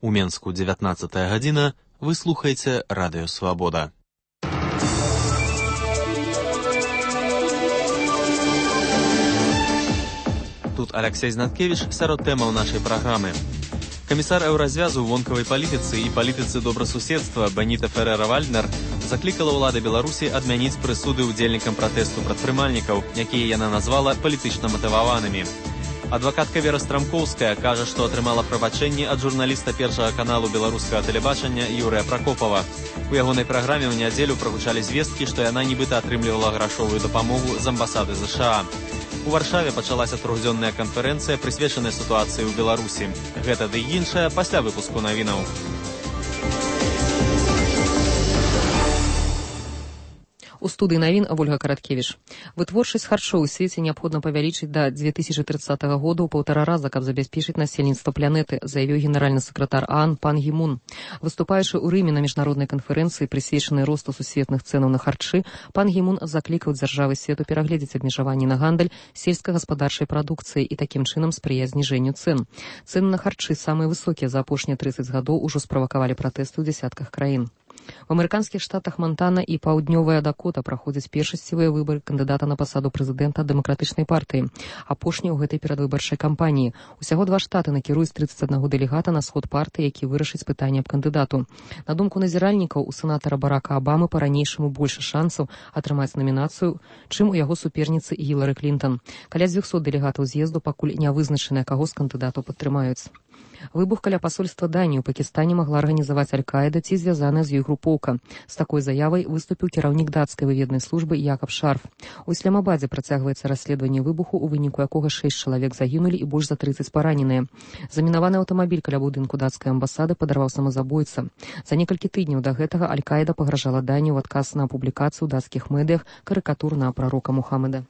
У Менску 19 гадзіна, вы слухаеце Радыё Свабода. Тут Алексей Знаткевич сярод тэмаў нашай праграмы. Камісар еўразвязу ў вонкавай палітыцы і палітыцы добрасуседства Беніта Ферера-Вальднер заклікала ўлады Беларусі адмяніць прысуды ўдзельнікам пратэсту прадпрымальнікаў, якія яна назвала палітычна матываванымі. Адвакатка Вера Страмкоўская кажа, што атрымала прабачэнні ад журналіста першага каналу беларускага тэлебачання Юрыя Пракопава. У ягонай праграме ў нядзелю прагучалі звесткі, што яна нібыта атрымлівала грашовую дапамогу з амбасады ЗША. У Варшаве пачалася трохдзённая канферэнцыя, прысвечаная сітуацыі ў Беларусі. Гэта ды іншае пасля выпуску навінаў. У студыі навін Ольга Караткевіч. Вытворчасць харчоў у свеце неабходна павялічыць да 2030 года ў 1,5 раза, каб забяспечыць насельніцтва планеты, заявіў генеральны сакратар ААН Пан Гі Мун. Выступаючы ў Рыме на міжнароднай канферэнцыі, прысвечанай росту сусветных цэнаў на харчы, Пан Гі Мун заклікаў дзяржавы свету перагледзець абмежаванні на гандаль сельскагаспадарчай прадукцыі і такім чынам спрыяць зніжэнню цэн. Цэны на харчы самыя высокія за апошнія 30 гадоў ужо справакавалі пратэсты ў дзясятках краін. В амерыканскіх штатах Монтана і Паўднёвая Дакота праходзяць першасцевыя выбары кандыдата на пасаду прэзідэнта дэмакратычнай партыі, апошнія ў гэтай перадвыбарчай кампаніі. Усяго 2 штаты накіруюць 31 дэлегата на сход партыі, які вырашыць пытанне аб кандыдату. На думку назіральнікаў, у сенатара Барака Абамы па-ранейшаму больш шансаў атрымаць намінацыю, чым у яго суперніцы Гілары Клінтон. Каля 200 дэлегатаў з'езду пакуль не вызначана, каго з кандыдатаў падтрымаюць. Выбух каля пасольства Даніі ў Пакістане магла арганізаваць Аль-Каіда ці звязаная з ёй групоўка. З такой заявай выступіў кіраўнік дацкай выведнай службы Якаб Шарф. У Ісламабадзе працягваецца расследаванне выбуху, у выніку якога 6 чалавек загінулі і больш за 30 параненыя. Замінаваны аўтамабіль каля будынку дацкай амбасады падарваў самазабойца. За некалькі тыдняў да гэтага Аль-Каіда пагражала Даніі ў адказ на публікацыю ў дацкіх медыях карыкатур на прарока Мухаммада.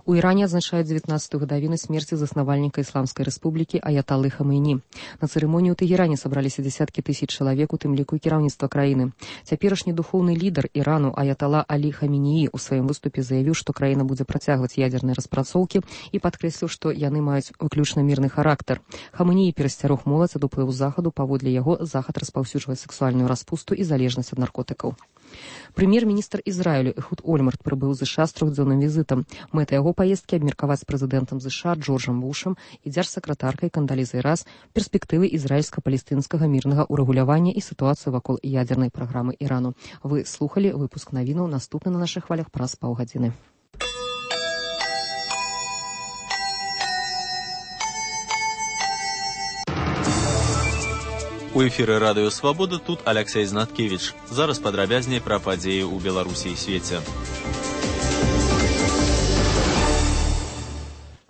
У Іране адзначаюць 19-ю гадавіну смерці заснавальніка Ісламскай рэспублікі Аяталы Хамейні. На цырымонію ў Тэгеране сабраліся дзесяткі тысяч чалавек, у тым ліку і кіраўніцтва краіны. Цяперашні духоўны лідар Ірану Аятала Алі Хамінеі ў сваім выступе заявіў, што краіна будзе працягваць ядзерныя распрацоўкі і падкрэсліў, што яны маюць выключна мірны характар. Хамінеі перасцярог моладзь ад уплыву захаду, паводле яго захад распаўсюджвае сексуальную распусту і залежнасць ад наркотыкаў. Прэм'ер-міністр Ізраілю Эхуд Ольмарт прыбыў з ЗША з 3-дзённым візітам. Мэта яго паездкі абмеркаваць з прэзідэнтам ЗША Джорджам Бушам і дзяржсакратаркай Кандалізай Райс перспектывы ізраільска-палестынскага мірнага ўрэгулявання і сітуацыю вакол ядзернай праграмы Ірану. Вы слухалі выпуск навінаў, наступны на нашых хвалях праз паўгадзіны. У эфіры Радыё Свабода тут Алексей Знаткевич. Зараз падрабязней пра падзеі ў Беларусі і свеце.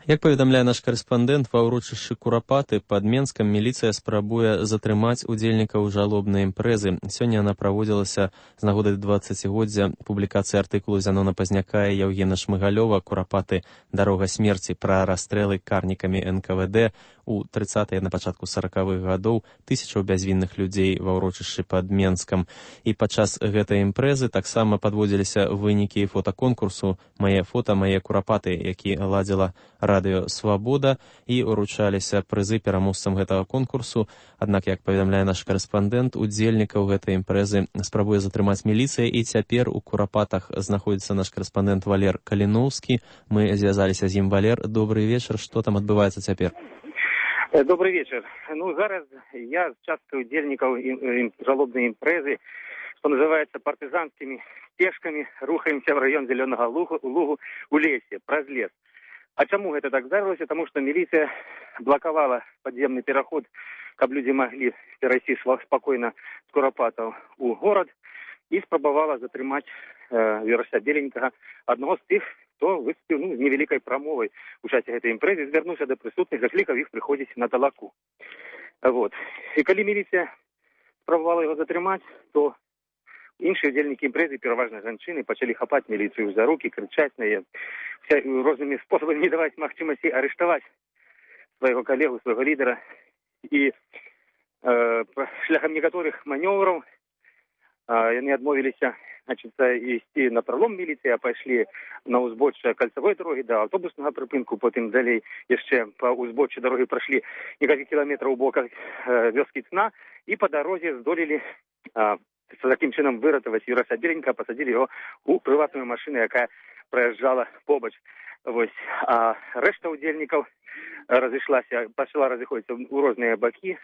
Як паведамляе наш карэспандэнт, ва ўрочышчы Курапаты пад Менскам міліцыя спрабуе затрымаць удзельнікаў жалобнай імпрэзы. Сёння яна праводзілася з нагоды 20-годдзя публікацыі артыкулу Зянона Пазняка і Яўгена Шмыгалёва «Курапаты. Дарога смерці» пра расстрэлы карнікамі НКВД у 30-е на пачатку 40-х гадоў тысячаў бязвінных людзей ва ўрочышчы пад Менскам. І падчас гэтай імпрэзы таксама падводзіліся вынікі фотаконкурсу «Мае фота, мае курапаты», які ладзіла Радыё Свабода, і уручаліся прызы пераможцам гэтага конкурсу. Аднак, як паведамляе наш карэспандэнт, удзельнікаў гэтай імпрэзы спрабуе затрымаць міліцыя, і цяпер у Курапатах знаходзіцца наш карэспандэнт Валер Каліноўскі. Мы звязаліся з ім. Валер, добрый вечар. Што там адбываецца цяпер? Добрый вечер. Зараз я з часткай удзельнікаў жалобнай імпрэзы, што называецца партызанскімі стежкамі, рухаемся в раён Зелёнага лугу у лесе, праз лес. А чаму гэта так здарылася? Таму што міліцыя блакавала падземны пераход, каб людзі маглі перайсці спакойна з Курапатаў у горад, і спрабавала затрымаць Верася Беленькага, аднаго з тых, хто выступіў з невялікай прамовай у часе гэтай імпрэзы, звярнуўся да прысутных, заклікаў іх прыходзіць на талаку. І калі міліцыя спрабавала яго затрымаць, то іншыя удзельнікі імпрэзы, пераважна жанчыны, пачалі хапаць міліцыю за рукі, крычаць на яе, рознымі спосабамі не даваць магчымасці арыштаваць свайго калегу, свайго лідара. І шляхам некаторых манёўраў яны адмовіліся значит, ісці на пролом міліцыі, а пайшлі на ўзбочча кальцавой дарогі да аўтобуснага прыпынку, потым далей яшчэ па ўзбоччы дарогі прайшлі некалькі кіламетраў у боках вёскі Цна і па дарозе здолелі такім чынам выратаваць Юраса Беленькага, пасадзілі яго ў прыватную машыну, якая праязджала побач. Вось, а рэшта ўдзельнікаў пачала разыходзіцца ў розныя бакі,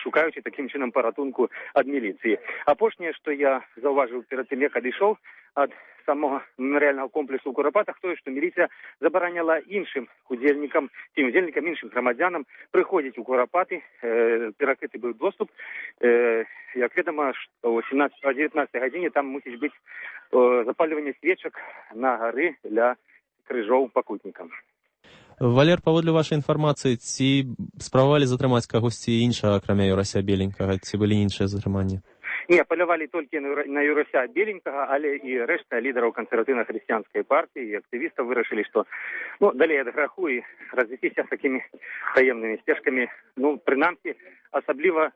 шукаючы такім чынам паратунку ад міліцыі. Апошняе, што я заўважыў перад тым, як адышоў ад самого мемарыяльнага комплексу ў Курапатах, тое, што міліцыя забараняла іншым удзельнікам, іншым грамадзянам прыходзіць у Курапаты, перакрыты быў доступ. Як вядома, што о 19 гадзіне там мусіць быць запальванне свечак на гары для крыжоў пакутнікам. Валер, паводле вашай інфармацыі, ці спрабавалі затрымаць кагосьці іншага, акрамя Юрася Беленькага, ці былі іншыя затрыманні? Не, палявалі толькі на Юрася Беленькага, але і рэшта лідараў кансерватыўна-хрысціянскай партыі і актывістаў вырашылі, што далей ад граху і развесціся з такімі таемнымі сцежкамі. Прынамсі, асабліва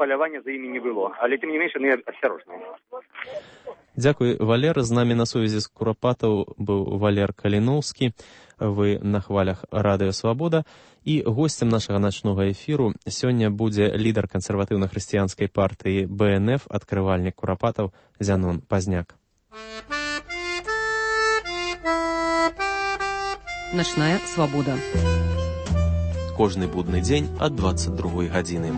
палявання за імі не было, але тым не менш яны асцярожныя. Дзякуй, Валер. З намі на сувязі з Курапатаў быў Валер Каліноўскі. Вы на хвалях Радыё Свабода. І госцем нашага начнога эфіру сёння будзе лідар кансерватыўна-хрысціянскай партыі БНФ, адкрывальнік Курапатаў Зянон Пазняк. Начная свабода. Кожны будны дзень ад 22 гадзіны.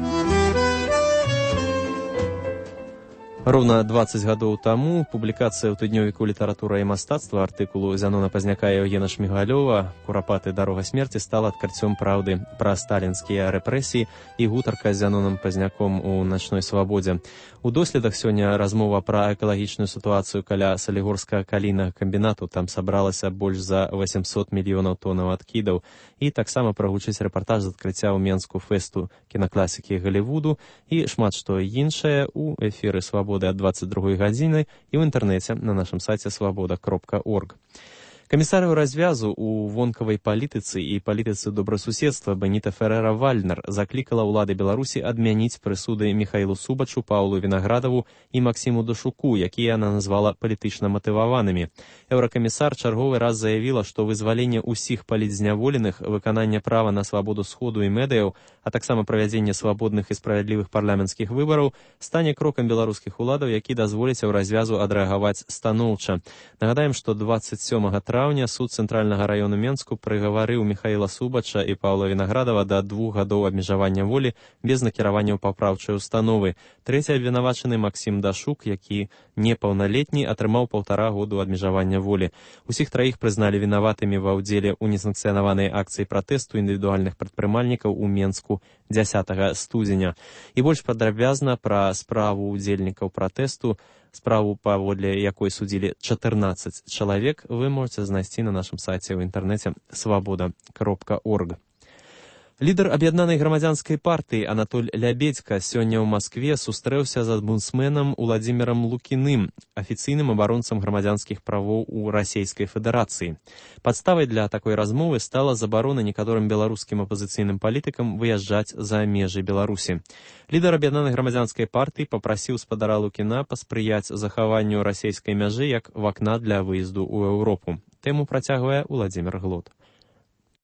Роўна 20 гадоў таму публікацыя ў тыднёвіку «Літаратура і мастацтва» артыкулу Зянона Пазняка і Еўгена Шмігалёва «Курапаты. Дарога смерці» стала адкрыццём праўды пра сталінскія рэпрэсіі і гутарка з Зяноном Пазняком у начной свабодзе. У доследах сёння размова пра экалагічную сітуацыю каля салігорскага калійнага камбінату. Там сабралася больш за 800 мільёнаў тоннаў адкідаў. І таксама прагучыць рэпартаж з адкрыцця ў Менску фэсту кінакласікі Галівуду і шмат што іншае ў эфіры «Свабода» ад 22 гадзіны і ў інтэрнэце на нашым сайце свабода.орг. Камісарыю развязу ў вонкавай палітыцы і палітыцы добрасуседства Беніта Ферера-Вальнер заклікала ўлады Беларусі адмяніць прысуды Міхаілу Субачу, Паўлу Вінаградаву і Максіму Дашуку, якія яна назвала палітычна матываванымі. Еўракамісар чарговы раз заявіла, што вызваленне ўсіх палітзняволеных, выкананне права на свабоду сходу і медыяў, а таксама правядзенне свабодных і справядлівых парламенцкіх выбараў стане крокам беларускіх уладаў, які дазволіць развязу адрэагаваць станоўча. Нагадаем, што 27 траўня суд цэнтральнага раёну Менску прыгаварыў Міхаіла Субача і Паўла Вінаградава да 2 гадоў абмежавання волі без накіравання ў папраўчай установы. Трэці абвінавачаны Максім Дашук, які непаўналетні, атрымаў 1,5 году абмежавання волі. Усіх траіх прызналі вінаватымі ва ўдзеле ў несанкцыянаванай акцыі пратэсту індывідуальных прадпрымальнікаў у Менску 10 студзеня. І больш падрабязна пра справу ўдзельнікаў пратэсту, справу, паводле якой судзілі 14 чалавек, вы можаце знайсці на нашым сайце ў інтэрнэце свабода.орг. Лідар аб'яднанай грамадзянскай партыі Анатоль Лябедзька сёння ў Маскве сустрэўся з омбудсменам Уладзімірам Лукіным, афіцыйным абаронцам грамадзянскіх правоў у Расійскай Федэрацыі. Падставай для такой размовы стала забарона некаторым беларускім апазіцыйным палітыкам выязджаць за межы Беларусі. Лідар аб'яднанай грамадзянскай партыі папрасіў спадара Лукіна паспрыяць захаванню расійскай мяжы як вакна для выезду ў Еўропу. Тэму працягвае Уладзімір Глот.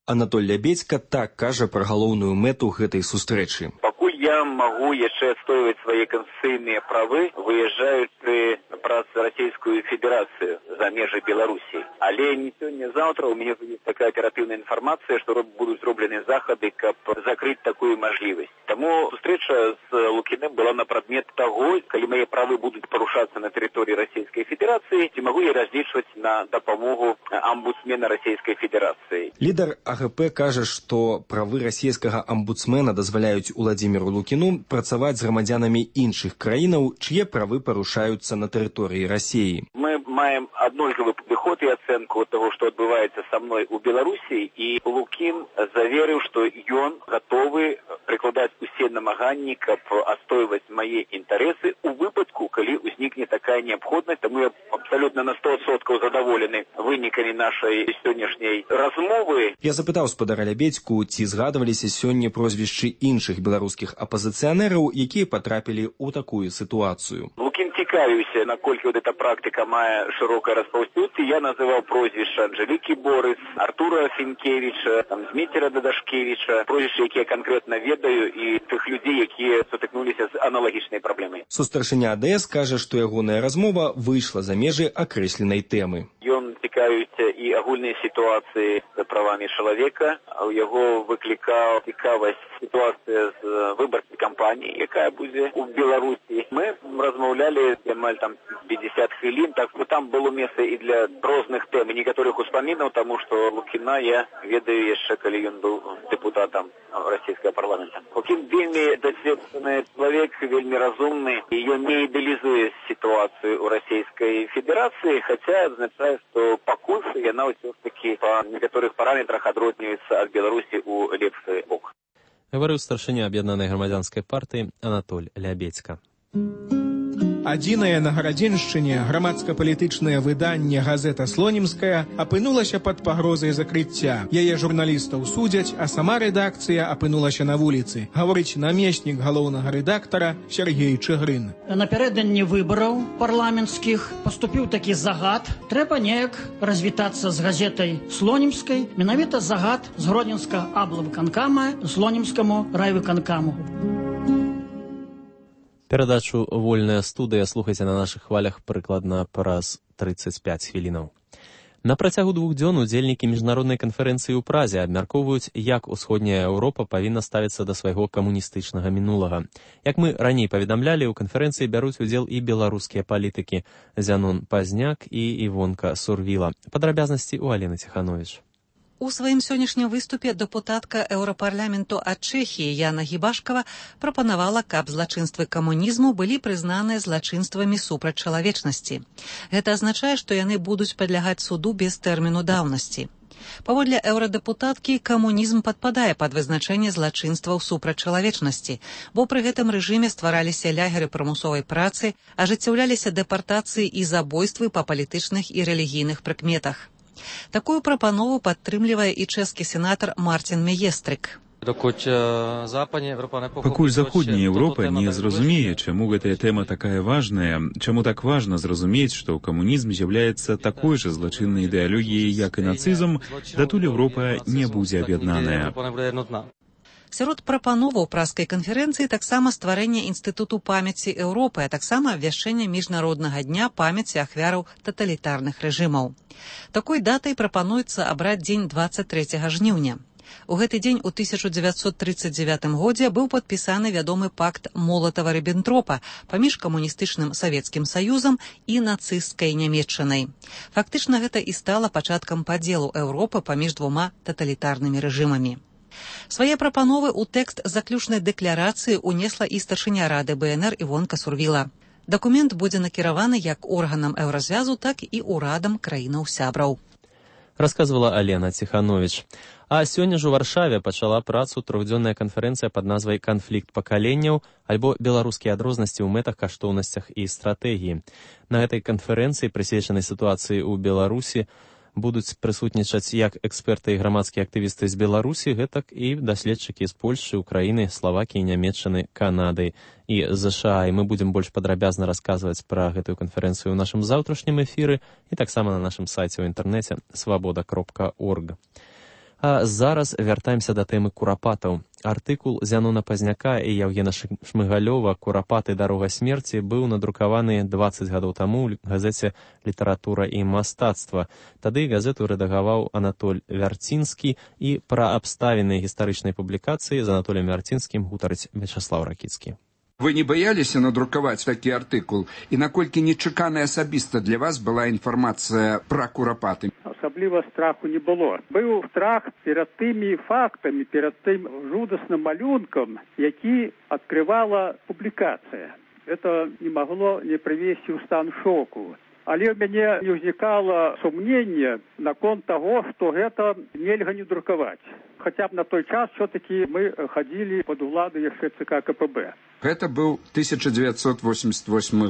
Анатоль Лябедзька так кажа пра галоўную мэту гэтай сустрэчы. Пакуль я магу яшчэ адстойваць свае канстытуцыйныя правы, выязджаючы праз Расійскую Федэрацыю за межы Беларусі. Але не сёння-заўтра у мяне ёсць такая аператыўная інфармацыя, што будуць зроблены захады, каб закрыць такую мажлівасць. Таму сустрэча з Лукіным была на прадмет таго, калі мае правы будуць парушацца на тэрыторыі Расійскай Федэрацыі, ці магу я разлічваць на дапамогу амбудсмена Расійскай Федэрацыі. Лідар АГП кажа, што правы расійскага амбудсмена дазваляюць Уладзіміру Лукіну працаваць з грамадзянамі іншых краінаў, чые правы парушаюцца на тэрыторыі Расіі. Мы маем аднолькавы падыход падход і ацэнку таго, што адбываецца са мной у Беларусі, і Лукін заверыў, што ён гатовы прыкладаць усе намаганні, каб адстойваць мае інтарэсы у выпадку, калі ўзнікне такая неабходнасць. Таму я абсалютна на 100% задаволены вынікамі нашай сённяшняй размовы. Я запытаў спадара Лябедзьку, ці згадваліся сёння прозвішчы іншых беларускіх апазіцыянераў, якія потрапілі ў такую сітуацыю. Лукін цікавіўся, наколькі эта практыка мае шырокае распаўсюдство. Я называў прозвішча Анжелікі Борыс, Артура Фінкевіча, Зміцера Дадашкевіча, прозвішчы, якія канкрэтна ведаю, і тых людзей, якія сутыкнуліся з аналагічнай праблемай. Сустаршыня АДС кажа, што ягоная размова выйшла за межы акрэсленай тэмы. Ён цікавіўся і агульнай сітуацыі з правамі чалавека. У яго выклікаў цікавасць сітуацыя з выбарчай кампаніяй, якая будзе ў Беларусі. Мы размаўлялі амаль 50 хвілін, так што там было месца і для розных тэм, і некаторых успамінаў, таму што Лукіна я ведаю яшчэ, калі ён быў дэпутатам расійскага парламента. Лукін вельмі дасведчаны чалавек, вельмі разумны, і ён не ідэалізуе сітуацыю ў Расійскай Федэрацыі, хаця азначае, што пакуль яна ўсё ж такі па некаторых параметрах адрозніваецца ад Беларусі ў лепшы бок. Гаварыў старшыня аб'яднанай грамадзянскай партыі Анатоль Лябедзька. Адзінае на Гарадзеншчыне грамадска-палітычнае выданне «Газета Слонімская» апынулася пад пагрозай закрыцця. Яе журналістаў судзяць, а сама рэдакцыя апынулася на вуліцы. Гаворыць намеснік галоўнага рэдактара Сергей Чыгрын. Напярэдадні выбараў парламенцкіх паступіў такі загад. Трэба неяк развітацца з газетай Слонімскай, менавіта загад з гродзенскага аблвыканкама Слонімскаму райвыканкаму. Перадачу «Вольная студыя» слухайце на нашых хвалях прыкладна праз 35 хвілінаў. На працягу 2 дзён удзельнікі міжнароднай канферэнцыі ў Празе абмяркоўваюць, як усходняя Еўропа павінна ставіцца да свайго камуністычнага мінулага. Як мы раней паведамлялі, у канферэнцыі бяруць удзел і беларускія палітыкі Зянон Пазняк і Івонка Сурвіла. Падрабязнасці ў Алены Ціхановіч. У сваім сённяшнім выступе дэпутатка Еўрапарламенту ад Чэхіі Яна Гібашкава прапанавала, каб злачынствы камунізму былі прызнаныя злачынствамі супраць чалавечнасці. Гэта азначае, што яны будуць падлягаць суду без тэрміну даўнасці. Паводле еўрадэпутаткі, камунізм падпадае пад вызначэнне злачынстваў супраць чалавечнасці, бо пры гэтым рэжыме ствараліся лягеры прымусовай працы, ажыццяўляліся дэпартацыі і забойствы па палітычных і рэлігійных прыкметах. Такую прапанову падтрымлівае і чэшскі сенатар Мартин Меестрик. Пакуль заходняя Еўропа не зразумее, чаму гэтая тэма такая важная, чаму так важна зразумець, што камунізм з'яўляецца такой жа злачыннай ідэалогіяй, як і нацызм, датуль Еўропа не будзе аб'яднаная. Сярод прапановаў праскай канферэнцыі таксама стварэнне інстытуту памяці Еўропы, а таксама абвяшчэнне міжнароднага дня памяці ахвяраў таталітарных рэжымаў. Такой датай прапануецца абраць дзень 23 жніўня. У гэты дзень у 1939 годзе быў падпісаны вядомы пакт Молатава-Ріббентропа паміж камуністычным Савецкім Саюзам і нацысцкай Нямецчынай. Фактычна гэта і стала пачаткам падзелу Еўропы паміж двума таталітарнымі рэжымамі. Свае прапановы ў тэкст заключнай дэкларацыі ўнесла і старшыня Рады БНР Івонка Сурвіла. Дакумент будзе накіраваны як органам Еўразвязу, так і ўрадам краінаў-сябраў. Расказвала Алена Ціхановіч. А сёння ж у Варшаве пачала працу трохдзённая канферэнцыя пад назвай «Канфлікт пакаленняў» альбо «Беларускія адрознасці ў мэтах, каштоўнасцях і стратэгіі». На гэтай канферэнцыі, прысвечанай сітуацыі ў Беларусі, будуць прысутнічаць як эксперты і грамадскія актывісты з Беларусі, гэтак і даследчыкі з Польшчы, Украіны, Славакіі, Нямецчыны, Канады і ЗША. І мы будзем больш падрабязна расказваць пра гэтую канферэнцыю ў нашым заўтрашнім эфіры і таксама на нашым сайце ў інтэрнэце свабода.орг. А зараз вяртаемся да тэмы курапатаў. Артыкул Зянона Пазняка і Яўгена Шмыгалёва «Курапаты. Дарога смерці» быў надрукаваны 20 гадоў таму ў газеце «Літаратура і мастацтва». Тады газету рэдагаваў Анатоль Вярцінскі, і пра абставіны гістарычнай публікацыі з Анатолем Вярцінскім гутарыць Вячаслаў Ракіцкі. Вы не бояліся надрукаваць такі артыкул? І наколькі нечакана асабіста для вас была інфармацыя пра курапаты? Асабліва страху не было. Быў страх перад тымі фактамі, перад тым жудасным малюнкам, які адкрывала публікацыя. Это не магло не прывесці ў стан шоку. Але ў мяне не ўзнікала сумнення наконт таго, што гэта нельга не друкаваць. Хаця б на той час все-таки мы хадзілі пад уладу яшчэ ЦК КПБ. Гэта быў 1988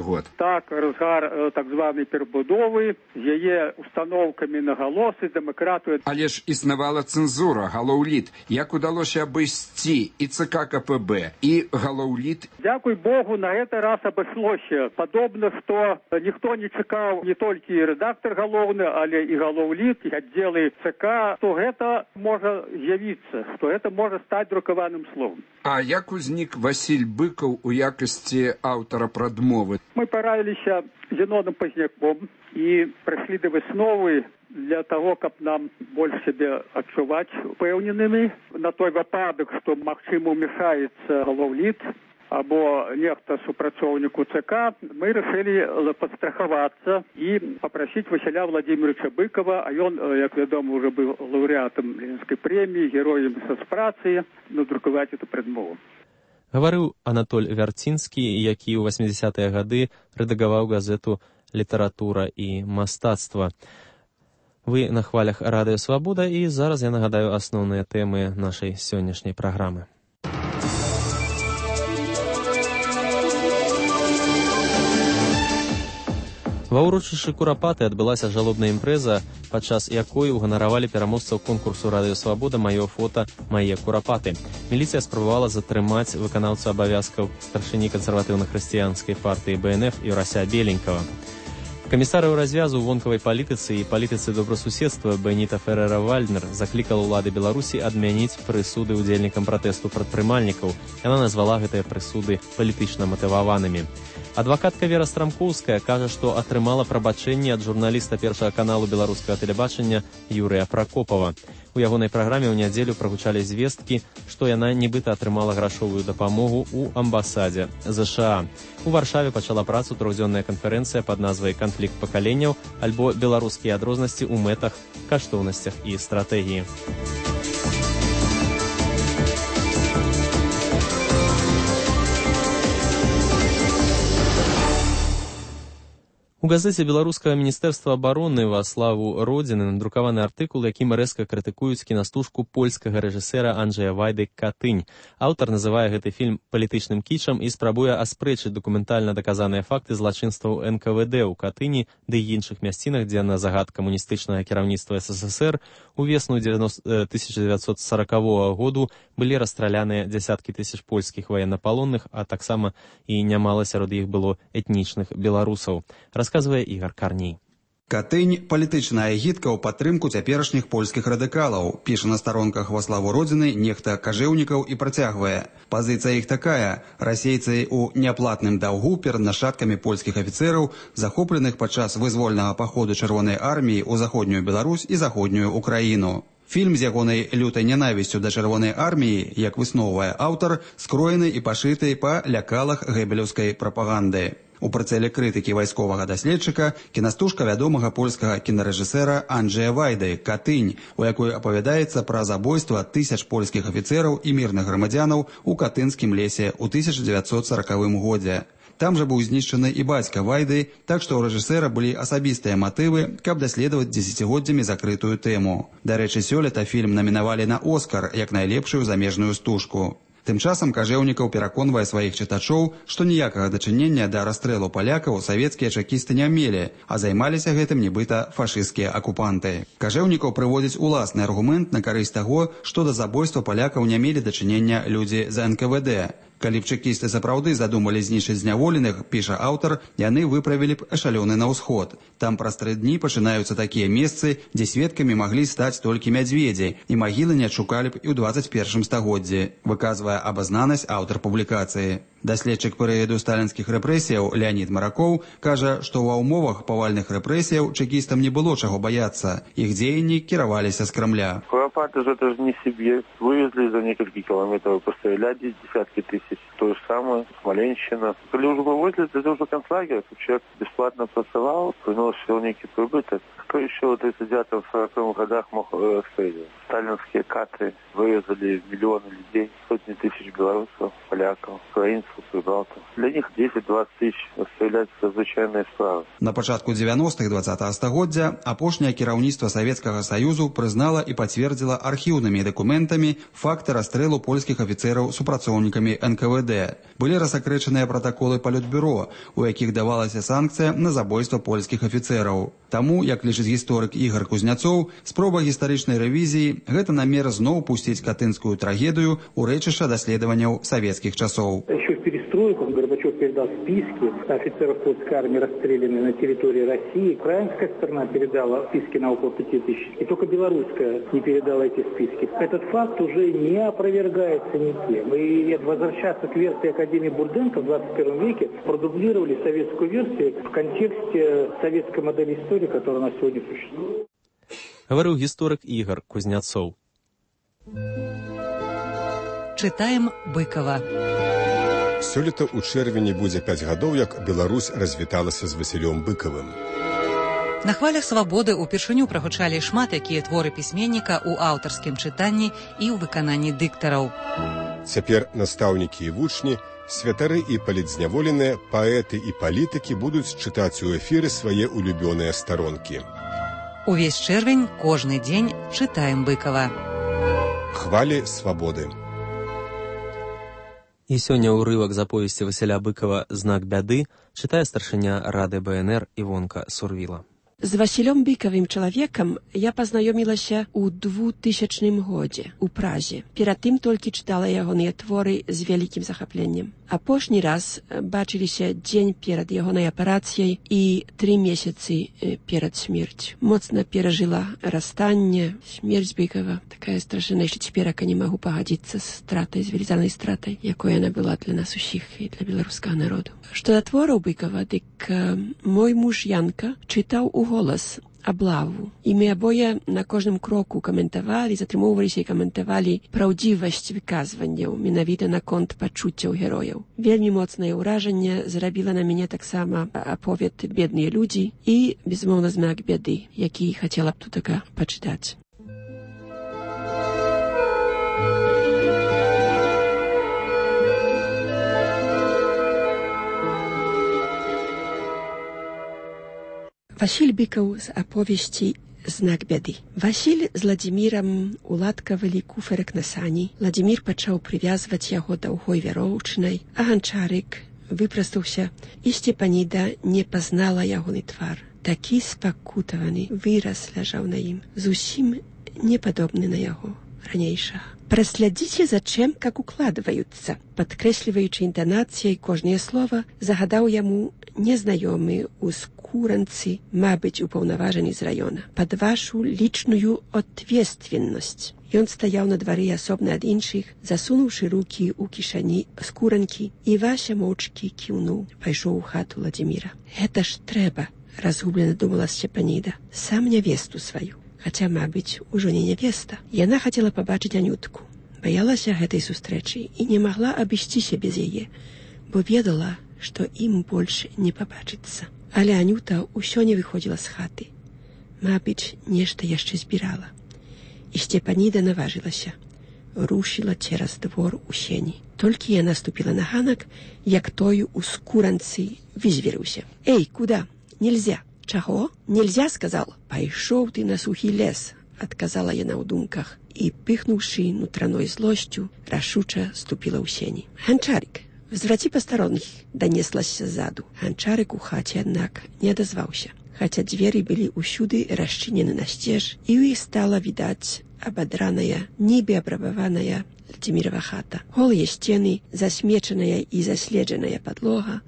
год. Так, разгар так званай перабудовы, з яе установкамі на галосы, дэмакратыю. Але ж існавала цэнзура, галоўліт. Як удалося абысці і ЦК КПБ, і галоўліт? Дзякуй Богу, на гэты раз абышлося. Падобна, што ніхто не чакаў не толькі рэдактар галоўны, але і галоўліт, і аддзелы ЦК, што гэта можа з'явіцца, што гэта можа стаць друкаваным словом. А як узнік Васіль Быкаў у якасці аўтара прадмовы? Мы параіліся з Зенонам Пазняком і прыйшлі да высновы для того, каб нам больш сябе адчуваць упэўненымі на той выпадак, што магчыма ўмяшаецца галоўліт або нехта супрацоўніку ЦК, мы рашылі падстрахавацца і папрасіць Васіля Владимировича Быкова, а ён, як вядома, уже быў лаўрэатам Ленінскай прэміі, героем сацпрацы, надрукаваць эту прадмову. Гаварыў Анатоль Вярцінскі, які ў 80-е гады рэдагаваў газету «Літаратура і мастацтва». Вы на хвалях Радыё Свабода, і зараз я нагадаю асноўныя тэмы нашай сённяшняй праграмы. Ва ўрочышчы Курапаты адбылася жалобная імпрэза, падчас якой уганаравалі пераможцаў конкурсу «Радыё Свабода» «Маё фота, мае Курапаты». Міліцыя спрабавала затрымаць выканаўцу абавязкаў старшыні кансерватыўна-хрысціянскай партыі БНФ Юрася Беленькава. Камісарыў развязу ў вонкавай палітыцы і палітыцы добрасуседства Беніта Ферера-Вальднер заклікала ўлады Беларусі адмяніць прысуды ўдзельнікам пратэсту прадпрымальнікаў. Яна назвала гэтыя прысуды палітычна матываванымі. Адвакатка Вера Страмкоўская кажа, што атрымала прабачэнне ад журналіста Першага каналу беларускага тэлебачання Юрыя Пракопава. У ягонай праграме ў нядзелю прагучалі звесткі, што яна нібыта атрымала грашовую дапамогу ў амбасадзе ЗША. У Варшаве пачала працу трохдзённая канферэнцыя пад назвай «Канфлікт пакаленняў» альбо «Беларускія адрознасці ў мэтах, каштоўнасцях і стратэгіі». У газеце беларускага міністэрства абароны «Ва славу Родзіны» надрукаваны артыкул, якім рэзка крытыкуюць кінастужку польскага рэжысэра Анджэя Вайды «Катынь». Аўтар называе гэты фільм палітычным кічам і спрабуе аспрэчыць дакументальна даказаныя факты злачынстваў НКВД ў Катыні ды іншых мясцінах, дзе на загад камуністычнага кіраўніцтва СССР у весну 1940 году былі расстраляныя дзясяткі тысяч польскіх ваеннапалонных, а таксама і нямала сярод іх было этнічных беларусаў. Расказвае Ігар Карней. Катынь – палітычная агітка ў падтрымку цяперашніх польскіх радыкалаў. Піша на старонках «Во славу Родзіны» нехта Кажэўнікаў і працягвае. Пазіцыя іх такая. Расейцы ў няплатным даўгу перад нашчадкамі польскіх афіцэраў, захопленых падчас вызвольнага паходу Чырвонай арміі ў заходнюю Беларусь і заходнюю Украіну. Фільм з ягонай лютай нянавісцю да Чырвонай арміі, як высноўвае аўтар, скроены і пашыты па лякалах гэбелеўскай прапаганды. У прыцэле крытыкі вайсковага даследчыка кінастужка вядомага польскага кінарэжысэра Анджэя Вайды «Катынь», у якой апавядаецца пра забойства тысяч польскіх афіцэраў і мірных грамадзянаў у Катынскім лесе ў 1940 годзе. Там жа быў знішчаны і бацька Вайды, так што ў рэжысэра былі асабістыя матывы, каб даследаваць дзесяцігоддзямі закрытую тэму. Дарэчы, сёлета фільм намінавалі на «Оскар» як найлепшую замежную стужку. Тым часам Кажэўнікаў пераконвае сваіх чытачоў, што ніякага дачынення да расстрэлу палякаў савецкія чэкісты не мелі, а займаліся гэтым нібыта фашысцкія акупанты. Кажэўнікаў прыводзіць уласны аргумент на карысць таго, што да забойства палякаў не мелі дачынення людзі з НКВД. Калі б чэкісты сапраўды задумалі знішчыць зняволеных, піша аўтар, яны выправілі б эшалёны на ўсход. Там праз 3 дні пачынаюцца такія месцы, дзе сведкамі маглі стаць толькі мядзведзі, і магілы не адшукалі б і ў 21 стагоддзі, выказвае абазнанасць аўтар публікацыі. Даследчык перыяду сталінскіх рэпрэсіяў Леонід Маракоў кажа, што ва ўмовах павальных рэпрэсіяў чэкістам не было чаго баяцца. Іх дзеянні кіраваліся з Крамля. Куропаты же это же не себе. Вывезли за несколько километров, постреляли десятки тысяч. То же самое, Смоленщина. Когда уже вывозили, это уже концлагерь. Человек бесплатно pracował, приносил некий прибыток. Кто еще в 39-40 годах мог расстрелять? сталинские кадры вывезли миллионы людей, сотни тысяч белорусов, поляков, украинцев, прибалтов. Для них 10-20 тысяч является звычайной справой. На пачатку 90-х 20-го стагоддзя апошняе кіраўніцтва Савецкага Саюзу прызнала і пацвердзіла архіўнымі дакументамі факты расстрэлу польскіх афіцэраў супрацоўнікамі НКВД. Былі рассакрэчаныя пратаколы палітбюро, у якіх давалася санкцыя на забойства польскіх афіцэраў. Таму, як лічыць гісторык Ігор Кузняцоў, спроба гістарычнай рэвізіі – гэта намер зноў пусціць катынскую трагедыю у рэчышча даследаванняў савецкіх часоў. Еще в перестройку Горбачев передал списки офицеров польской армии, расстрелянных на территории России. Украинская сторона передала списки на около 5000. И только белорусская не передала эти списки. Этот факт уже не опровергается никем. И возвращаться к версии Академии Бурденко в 21 веке продублировали советскую версию в контексте советской модели истории, которая на сегодня существует. Говорил гісторык Ігор Кузняцоў. Чытаем Быкова. Сёлета ў чэрвені будзе 5 гадоў, як Беларусь развіталася з Васілём Быкавым. На хвалях свабоды ўпершыню прагучалі шмат якія творы пісьменніка ў аўтарскім чытанні і ў выкананні дыктараў. Цяпер настаўнікі і вучні, святары і палітзняволеныя, паэты і палітыкі будуць чытаць у эфіры свае улюбёныя старонкі. Увесь чэрвень, кожны дзень чытаем Быкава. Хвалі свабоды. І сёння ўрывак з аповесці Васіля Быкава «Знак бяды» чытае старшыня Рады БНР Івонка Сурвіла. З Васілём Быкавым чалавекам я пазнаёмілася ў 2000 годзе ў Празе. Перад тым толькі чытала ягоныя творы з вялікім захапленнем. Апошні раз бачыліся дзень перад ягонай апарацыяй і 3 месяцы перад смерцю. Моцна перажыла расстанне, смерць Быкава. Такая страшная, што цяперака не магу пагадзіцца з стратай, з велізарнай стратай, якой яна была для нас усіх і для беларускага народу. Што да твораў Быкава, дык мой муж Янка чытаў у голас аблаву. І мы абое на кожным кроку каментавалі, затрымоўваліся і каментавалі праўдзівасць выказванняў, менавіта наконт пачуццяў герояў. Вельмі моцнае ўражанне зрабіла на мяне таксама аповед «Бедныя людзі» і, безумоўна, «Знак бяды», які хацела б тут пачытаць. Васіль Быкаў з аповесці «Знак бяды». Васіль з Ладзімірам уладкавалі куферак на сані. Ладзімір пачаў прывязваць яго даўгой вяроўчынай, а ганчарык выпрастаўся, і Сцепаніда не пазнала ягоны твар. Такі спакутаваны выраз ляжаў на ім, зусім не падобны на яго ранейшага. «Праслядзіце за чым, как укладваюцца», падкрэсліваючы інтанацыяй кожнае слова, загадаў яму незнаёмы ў скуранцы, мабыць, упаўнаважаны з раёна. «Пад вашу лічную ответственнасць». Ён стаяў на двары асобна ад іншых, засунуўшы рукі ў кішані скуранкі, і Вася моўчкі кіўнуў, пайшоў у хату Ладзіміра. «Гэта ж трэба», разгублена думала Сцепаніда, «сам нявесту сваю». Хаця, мабыць, ужо не нявеста. Яна хацела пабачыць Анютку. Баялася гэтай сустрэчы і не магла абысціся без яе, бо ведала, што ім больш не пабачыцца. Але Анюта ўсё не выходзіла з хаты. Мабыць, нешта яшчэ збірала. І Сцепаніда наважылася. Рушыла цераз двор у сені. Толькі яна ступіла на ганак, як той у скуранцы вызверыўся. «Эй, куда? Нельзя!» «Чаго? Нельзя, сказал?» «Пайшоў ты на сухі лес», адказала яна ў думках, і, пыхнуўшы нутраной злосцю, рашуча ступіла ў сені. «Ганчарык, взвраці пастаронных», данеслася ззаду. Ганчарык у хаце, аднак, не адазваўся, хаця дзверы былі ўсюды расчынены насцеж, і ў іх стала відаць абадраная, нібы абрабаваная Ладзімірава хата. Голыя сцены, засмечаная і заследжаная падлога,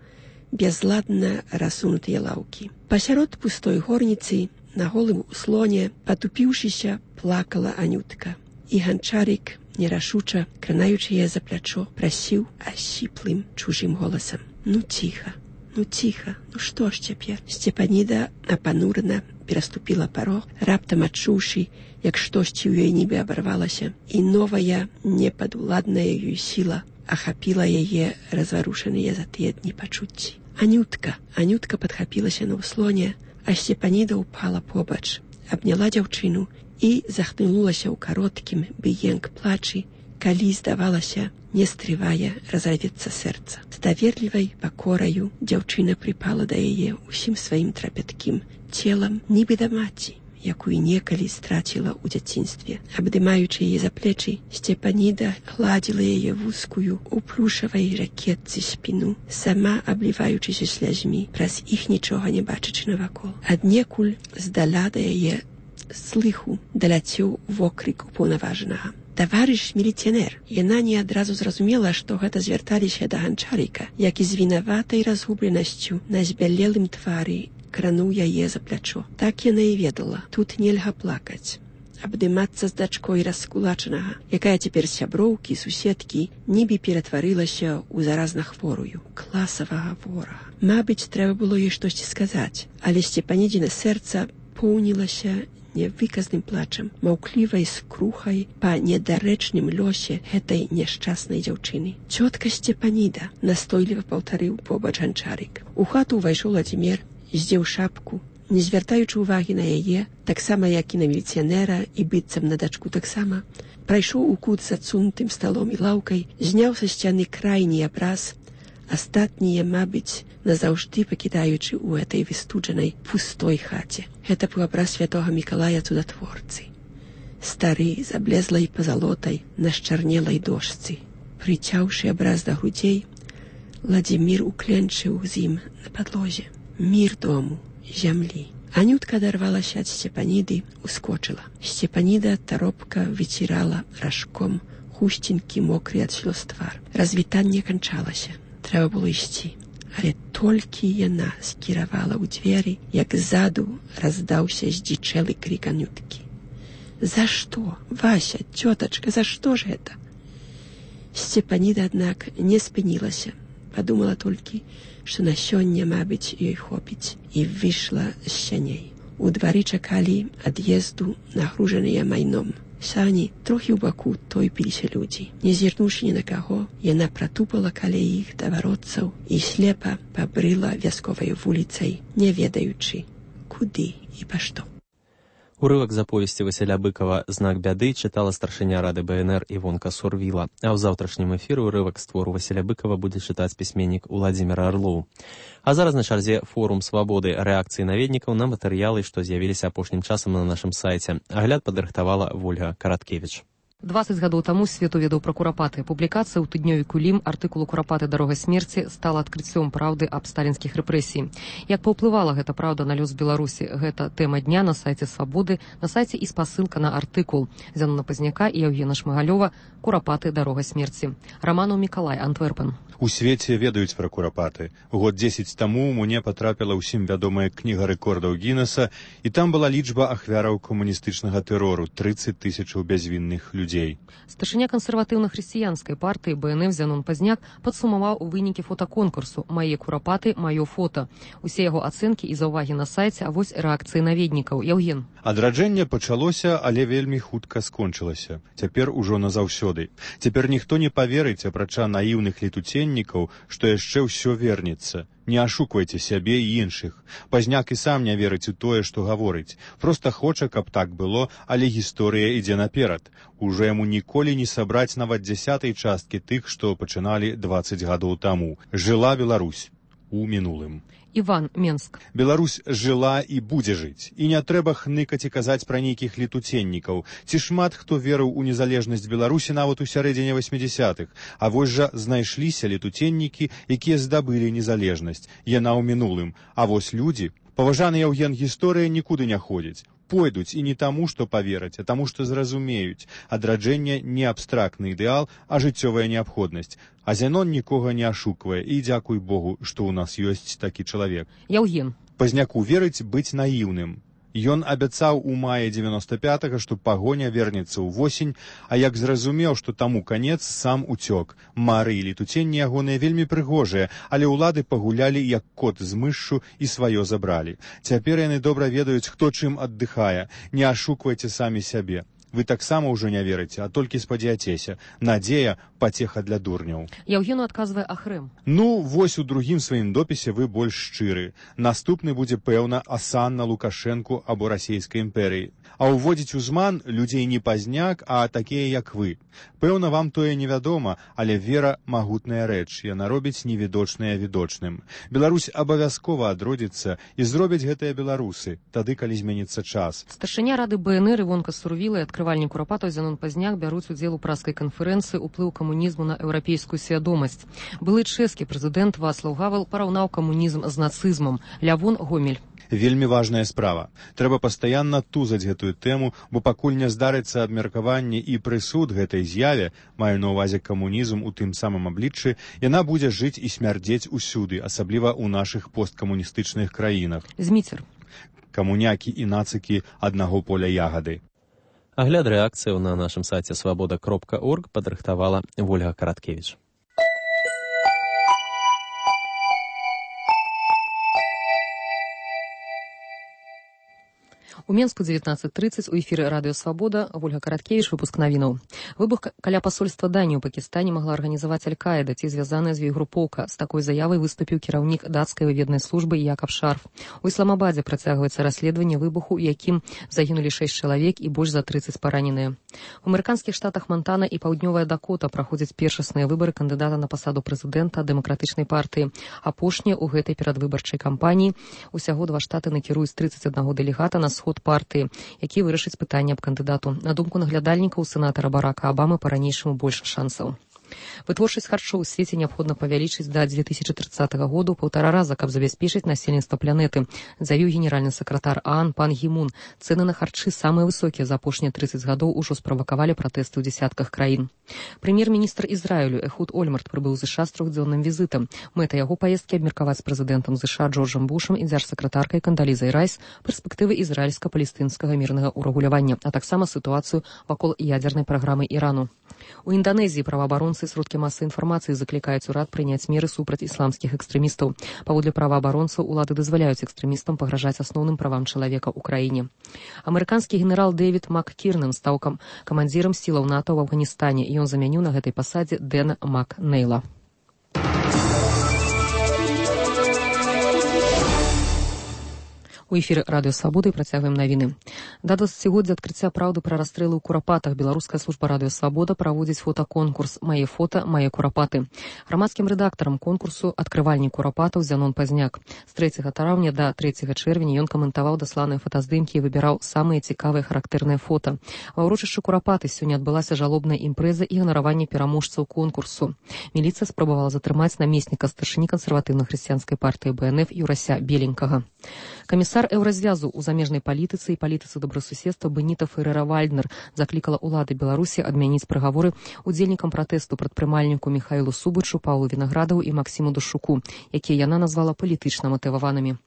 безладна рассунутыя лаўкі. Пасярод пустой горніцы, на голым услоне, патупіўшыся, плакала Анютка. І ганчарык, нерашуча, кранаючы яе за плячо, прасіў асіплым чужым голасам: «Ну ціха, ну ціха, ну што ж цяпер?» Сцепаніда апанурана пераступіла парог, раптам адчуўшы, як штосьці ў ёй нібы абарвалася, і новая, непадуладная ёй сіла ахапіла яе разварушаныя за тыя дні пачуцці. «Анютка!» Анютка падхапілася на ўслоне, а Сцепаніда ўпала побач, абняла дзяўчыну і захлынулася ў кароткім біенк плачы, калі, здавалася, не стрывае разавецца сэрца. З даверлівай пакораю дзяўчына прыпала да яе ўсім сваім трапяткім целам, нібы да маці, якую некалі страціла ў дзяцінстве. Абдымаючы яе за плечы, Сцепаніда гладзіла яе вузкую у плюшавай ракетцы спіну, сама абліваючыся слязьмі, праз іх нічога не бачачы навакол. Аднекуль здаля да яе слыху даляцеў вокрык упаўнаважанага. «Таварыш міліцыянер!» Яна не адразу зразумела, што гэта звярталіся да ганчарыка, які з вінаватай разгубленасцю на збялелым твары крануў яе за плячо. Так яна і ведала, тут нельга плакаць. Абдымацца з дачкой раскулачанага, якая цяпер сяброўкі, суседкі, нібы ператварылася ў заразна хворую, класавага ворага. Мабыць, трэба было ёй штосьці сказаць, але Сцепанідзіна сэрца поўнілася невыказным плачам, маўклівай скрухай па недарэчным лёсе гэтай няшчаснай дзяўчыны. «Цётка Сцепаніда!» — настойліва паўтарыў побач ганчарык. У хату ўвайшоў Владзімір, здзеў шапку, не звяртаючы ўвагі на яе, таксама як і на міліцыянера і быццам на дачку таксама, прайшоў у кут з адсунутым сталом і лаўкай, зняў са сцяны крайні абраз, астатнія, мабыць, назаўжды пакідаючы ў гэтай выстуджанай пустой хаце. Гэта быў абраз святога Мікалая цудатворцы. Стары, з аблезлай пазалотай на счарнелай дошцы. Прыцяўшы абраз да грудзей, Владзімір укленчыў з ім на падлозе. Мір дому, зямлі. Анютка адарвалася ад Сцепаніды, ускочыла. Сцепаніда таропка выцірала ражком хусценькі мокры ад слёз твар. Развітанне канчалася. Трэба было ісці. Але толькі яна скіравала ў дзверы, як ззаду раздаўся здзічэлы крык Анюткі. «За што? Вася, цётачка, за што ж гэта?» Сцепаніда, аднак, не спынілася. Падумала толькі, што на сёння, мабыць, ёй хопіць, і выйшла з сяней. У двары чакалі ад'езду нагружаныя майном. Сані трохі ў баку тойпіліся людзі. Не зірнуўшы ні на каго, яна пратупала каля іх да варотцаў і слепа пабрыла вясковай вуліцай, не ведаючы, куды і па што. Урывак з аповесці Васіля Быкова «Знак бяды» чытала старшыня Рады БНР Івонка Сурвіла, а ў заўтрашнім эфіры урывак з твору Васіля Быкова будзе чытаць пісьменнік Уладзімір Арлоў. А зараз на чарзе форум свабоды рэакцыі наведнікаў на матэрыялы, што з'явіліся апошнім часам на нашым сайце. Агляд падрыхтавала Вольга Караткевіч. 20 гадоў таму свет уведаў пра курапаты. Публікацыя ў тыднёвіку «Лім» артыкулу «Курапаты. Дарога смерці» стала адкрыццём праўды аб сталінскіх рэпрэсій. Як паўплывала гэта праўда на лёс Беларусі? Гэта тэма дня на сайце «Свабоды», на сайце і спасылка на артыкул Зянона Пазняка і Яўгена Шмыгалёва «Курапаты. Дарога смерці». Раманаў Мікалай, Антверпен. У свеце ведаюць пра курапаты. Год 10 таму мне патрапіла ўсім вядомая кніга рэкордаў Гіннеса, і там была лічба ахвяраў камуністычнага тэрору — 30 000 бязвінных людзей. Старшыня кансерватыўна-хрысціянскай партыі БНФ Зянон Пазняк падсумаваў вынікі фотаконкурсу «Мае курапаты, маё фота». Усе яго ацэнкі і заўвагі на сайце, а вось рэакцыі наведнікаў. Яўген. Адраджэнне пачалося, але вельмі хутка скончылася. Цяпер ужо назаўсёды. Цяпер ніхто не паверыць, апрача наіўных летуценнікаў, што яшчэ ўсё вернецца. Не ашуквайце сябе і іншых. Пазняк і сам не верыць у тое, што гаворыць. Проста хоча, каб так было, але гісторыя ідзе наперад. Ужо яму ніколі не сабраць нават 10-й часткі тых, што пачыналі 20 гадоў таму. Жыла Беларусь у мінулым. Іван, Менск. Беларусь жыла і будзе жыць. І не трэба хныкаць і казаць пра нейкіх летуценнікаў. Ці шмат хто верыў у незалежнасць Беларусі нават у сярэдзіне 80-х. А вось жа знайшліся летуценнікі, якія здабылі незалежнасць. Яна ў мінулым. А вось людзі, паважаны Яўген, гісторыя нікуды не ходзіць. Пойдуць і не таму, што павераць, а таму, што зразумеюць. Адраджэнне не абстрактны ідэал, а жыццёвая неабходнасць. А Зянон нікога не ашуквае, і дзякуй Богу, што ў нас ёсць такі чалавек. Яўген. Пазняку верыць быць наіўным. Ён абяцаў у маі 95-го, што пагоня вернецца ўвосень, а як зразумеў, што таму канец, сам уцёк. Мары і летуценні ягоныя вельмі прыгожыя, але ўлады пагулялі як кот з мышшу і сваё забралі. Цяпер яны добра ведаюць, хто чым аддыхае. Не ашуквайце самі сябе. Вы таксама ўжо не верыце, а толькі спадзяцеся. Надзея – пацеха для дурняў. Яўгену адказвае Ахрэм. Ну, вось у другім сваім допісе вы больш шчыры. Наступны будзе, пэўна, асанна Лукашэнку або расійскай імперыі. А ўводзіць у зман людзей не пазняк, а такія, як вы. Пэўна, вам тое невядома, але вера – магутная рэч. Яна робіць невідочнае відочным. Беларусь абавязкова адродзіцца і зробяць гэтыя беларусы, тады, калі зменіцца час. Старшыня рады БНР Івонка Сурвіла і адкрывальнік Курапатаў Зянон Пазняк бяруць удзел у праскай канферэнцыі «Уплыў камунізму на еўрапейскую свядомасць». Былы чэшскі прэзідэнт Вацлаў Гавел параўнаў камунізм з нацызмам. Лявон Гомель. Вельмі важная справа. Трэба пастаянна тузаць гэтую тэму, бо пакуль не здарыцца абмеркаванне і прысуд гэтай з'яве, маю на ўвазе камунізм у тым самым абліччы, яна будзе жыць і смярдзець усюды, асабліва ў нашых посткамуністычных краінах. Зміцер. Камунякі і нацыкі аднаго поля ягады. Агляд рэакцыяў на нашым сайце свабода.орг падрыхтавала Вольга Караткевіч. У Менску 19:30 у эфіры радыё «Свабода» Вольга Караткевіч, выпуск навінаў. Выбух каля пасольства Даніі ў Пакістане магла арганізаваць Аль-Каіда ці звязаная з ёй групоўка. З такой заявай выступіў кіраўнік дацкай выведнай службы Якаб Шарф. У Ісламабадзе працягваецца расследаванне выбуху, у якім загінулі 6 чалавек і больш за 30 параненыя. У амерыканскіх штатах Монтана і Паўднёвая Дакота праходзяць першасныя выбары кандыдата на пасаду прэзідэнта дэмакратычнай партыі. Апошнія ў гэтай перадвыбарчай кампаніі. Усяго 2 штаты накіруюць 31 дэлегата на сход партыі, які вырашыць пытанне аб кандыдату. На думку наглядальнікаў сенатара Барака Абамы па-ранейшаму больш шансаў. Вытворчасць харчоў у свеце неабходна павялічыць да 2030 году 1,5 раза, каб забяспечыць насельніцтва планеты, заявіў генеральны сакратар ААН пан Гімун. Цэны на харчы самыя высокія за апошнія 30 гадоў ужо справакавалі пратэсты ў дзесятках краін. Прэм'ер-міністр Ізраілю Эхуд Ольмарт прыбыў з США з 3-дзённым візітам. Мэта яго паездкі абмеркаваць з прэзідэнтам США Джорджам Бушам і дзяржсакратаркай Кандалізай Райс перспектывы ізраільска-палестынскага мірнага ўрэгулявання, а таксама сітуацыю вакол ядзернай праграмы Ірану. У Інданезіі праваабаронцы і сродкі масавай інфармацыі заклікаюць урад прыняць меры супраць ісламскіх экстрэмістаў. Паводле праваабаронцаў, улады дазваляюць экстрэмістам пагражаць асноўным правам чалавека ў краіне. Амерыканскі генерал Дэвід Маккірнен стаў камандзірам сілаў НАТО ў Афганістане, і ён замяніў на гэтай пасадзе Дэна Макнейла. У эфіры радыё «Свабода» і працягваем навіны. Да 20-годдзя адкрыцця праўды пра расстрэлы ў Курапатах беларуская служба радыё «Свабода» праводзіць фотаконкурс «Мае фота, мае курапаты». Грамадскім рэдактарам конкурсу адкрывальнік Курапатаў Зянон Пазняк. З 3 траўня да 3 чэрвеня ён каментаваў дасланыя фотаздымкі і выбіраў самыя цікавыя характэрныя фота. Ва ўрочышчы Курапаты сёння адбылася жалобная імпрэза і ганараванне пераможцаў конкурсу. Міліцыя спрабавала затрымаць намесніка старшыні кансерватыўна-хрысціянскай партыі БНФ Юрася Беленькага. Камісар еўразвязу ў замежнай палітыцы і палітыцы добрасуседства Беніта Ферера-Вальднер заклікала ўлады Беларусі адмяніць прыгаворы удзельнікам пратэсту прадпрымальніку Міхаілу Субачу, Паўлу Вінаградаву і Максіму Дашуку, якія яна назвала палітычна матываванымі.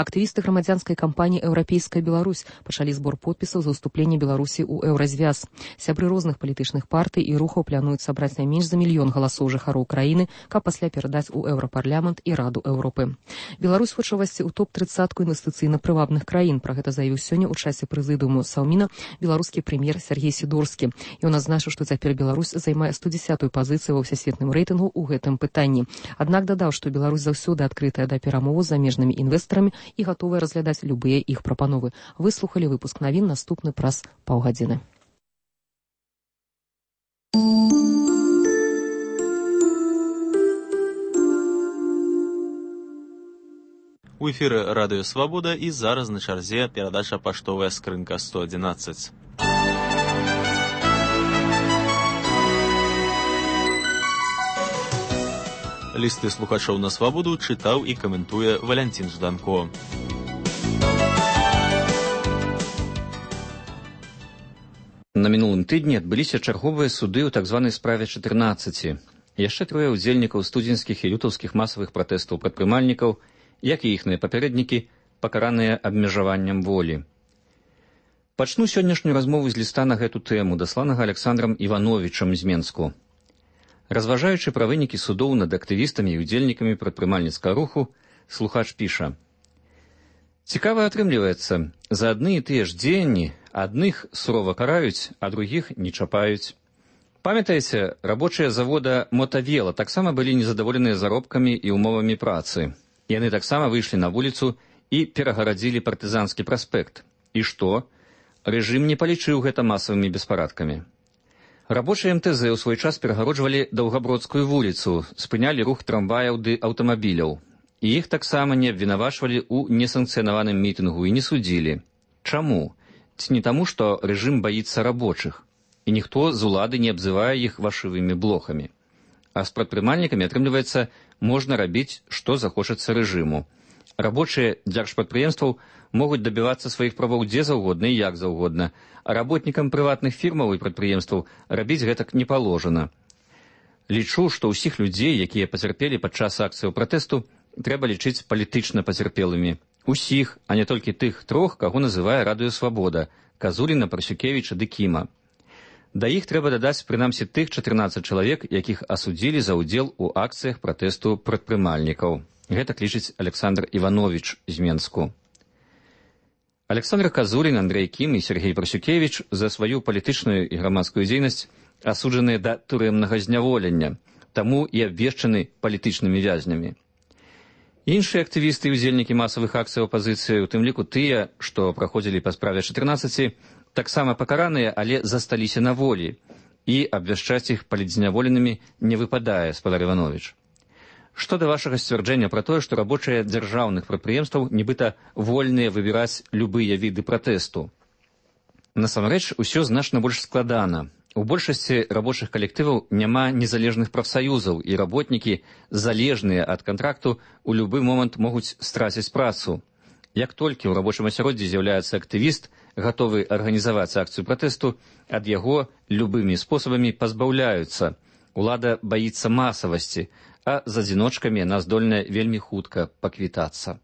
Актывісты грамадзянскай кампаніі «Еўрапейская Беларусь» пачалі збор подпісаў за ўступленне Беларусі ў еўразвяз. Сябры розных палітычных партый і рухаў плануюць сабраць не менш за 1 мільён галасоў жыхароў краіны, каб пасля перадаць у Еўрапарламент і Раду Еўропы. Беларусь хоча ўвайсці ў топ-30 інвестыцыйна-прывабных краін. Пра гэта заявіў сёння ў часе прэзідыуму Саўміна беларускі прэм'ер Сергей Сідорскі. Ён адзначыў, што цяпер Беларусь займае 110-ю пазіцыю ва ўсесветным рэйтынгу ў гэтым пытанні. Аднак дадаў, што Беларусь заўсёды адкрытая да перамоваў з замежнымі інвестарамі і гатовыя разглядаць любыя іх прапановы. Выслухалі выпуск навін, наступны праз паўгадзіны. У эфіры радыё «Свабода» і зараз на чарзе перадача «Паштовая скрынка 111». Лісты слухачоў на «Свабоду» чытаў і каментуе Валянцін Жданко. На мінулым тыдні адбыліся чарговыя суды ў так званай справе 14. Яшчэ 3 ўдзельнікаў студзенскіх і лютаўскіх масавых пратэстаў прадпрымальнікаў, як і іхныя папярэднікі, пакараныя абмежаваннем волі. Пачну сённяшнюю размову з ліста на гэту тэму, дасланага Александрам Івановічам з Менску. Разважаючы пра вынікі судоў над актывістамі і ўдзельнікамі прадпрымальніцкага руху, слухач піша: «Цікава атрымліваецца, за адны і тыя ж дзеянні Адных сурова караюць, а другіх не чапаюць. Памятаеце, рабочыя завода «Мотавела» таксама былі незадаволеныя заробкамі і ўмовамі працы. Яны таксама выйшлі на вуліцу і перагарадзілі партызанскі праспект. І што? Рэжым не палічыў гэта масавымі беспарадкамі. Рабочыя МТЗ ў свой час перагароджвалі Даўгабродскую вуліцу, спынялі рух трамваяў ды аўтамабіляў. І іх таксама не абвінавачвалі ў несанкцыянаваным мітынгу і не судзілі. Чаму? Ці не таму, што рэжым баіцца рабочых, і ніхто з улады не абзывае іх вашывымі блохамі. А з прадпрымальнікамі, атрымліваецца, можна рабіць, што захочацца рэжыму. Рабочыя дзяржпрадпрыемстваў могуць дабівацца сваіх правоў дзе заўгодна і як заўгодна, а работнікам прыватных фірмаў і прадпрыемстваў рабіць гэтак не паложана. Лічу, што ўсіх людзей, якія пацярпелі падчас акцыяў пратэсту, трэба лічыць палітычна пацярпелымі. Усіх, а не толькі тых трох, каго называе Радыё Свабода – Казуліна, Парсюкевіча ды Кіма. Да іх трэба дадаць прынамсі тых 14 чалавек, якіх асудзілі за ўдзел у акцыях пратэсту прадпрымальнікаў. Гэтак лічыць Александр Іванович з Менску. Александр Казулін, Андрэй Кім і Сергей Парсюкевіч за сваю палітычную і грамадскую дзейнасць асуджаныя да турэмнага зняволення, таму і абвешчаны палітычнымі вязнямі. Іншыя актывісты і удзельнікі масавых акцый апазіцыі, у тым ліку тыя, што праходзілі па справе 14, таксама пакараныя, але засталіся на волі, і абвяшчаць іх палітзняволенымі не выпадае, спадар Іванович. Што да вашага сцвярджэння пра тое, што рабочыя дзяржаўных прадпрыемстваў нібыта вольныя выбіраць любыя віды пратэсту? Насамрэч, усё значна больш складана. У большасці рабочых калектываў няма незалежных прафсаюзаў, і работнікі, залежныя ад кантракту, у любы момант могуць страціць працу. Як толькі ў рабочым асяроддзі з'яўляецца актывіст, гатовы арганізаваць акцыю пратэсту, ад яго любымі спосабамі пазбаўляюцца. Улада баіцца масавасці, а з адзіночкамі яна здольная вельмі хутка паквітацца.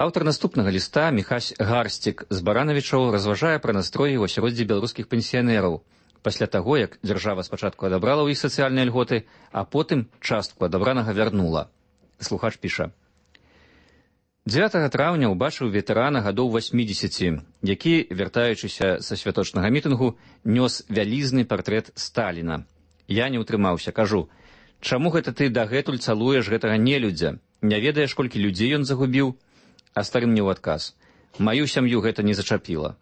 Аўтар наступнага ліста, Міхась Гарсцік з Баранавічаў, разважае пра настроі ў асяроддзі беларускіх пенсіянераў пасля таго, як дзяржава спачатку адабрала ў іх сацыяльныя льготы, а потым частку адабранага вярнула. Слухач піша. 9 траўня ўбачыў ветэрана гадоў 80, які, вяртаючыся са святочнага мітынгу, нёс вялізны партрэт Сталіна. Я не ўтрымаўся, кажу, чаму гэта ты дагэтуль цалуеш гэтага нелюдзя? Не ведаеш, колькі людзей ён загубіў? А стары мне ў адказ. Маю сям'ю гэта не зачапіла.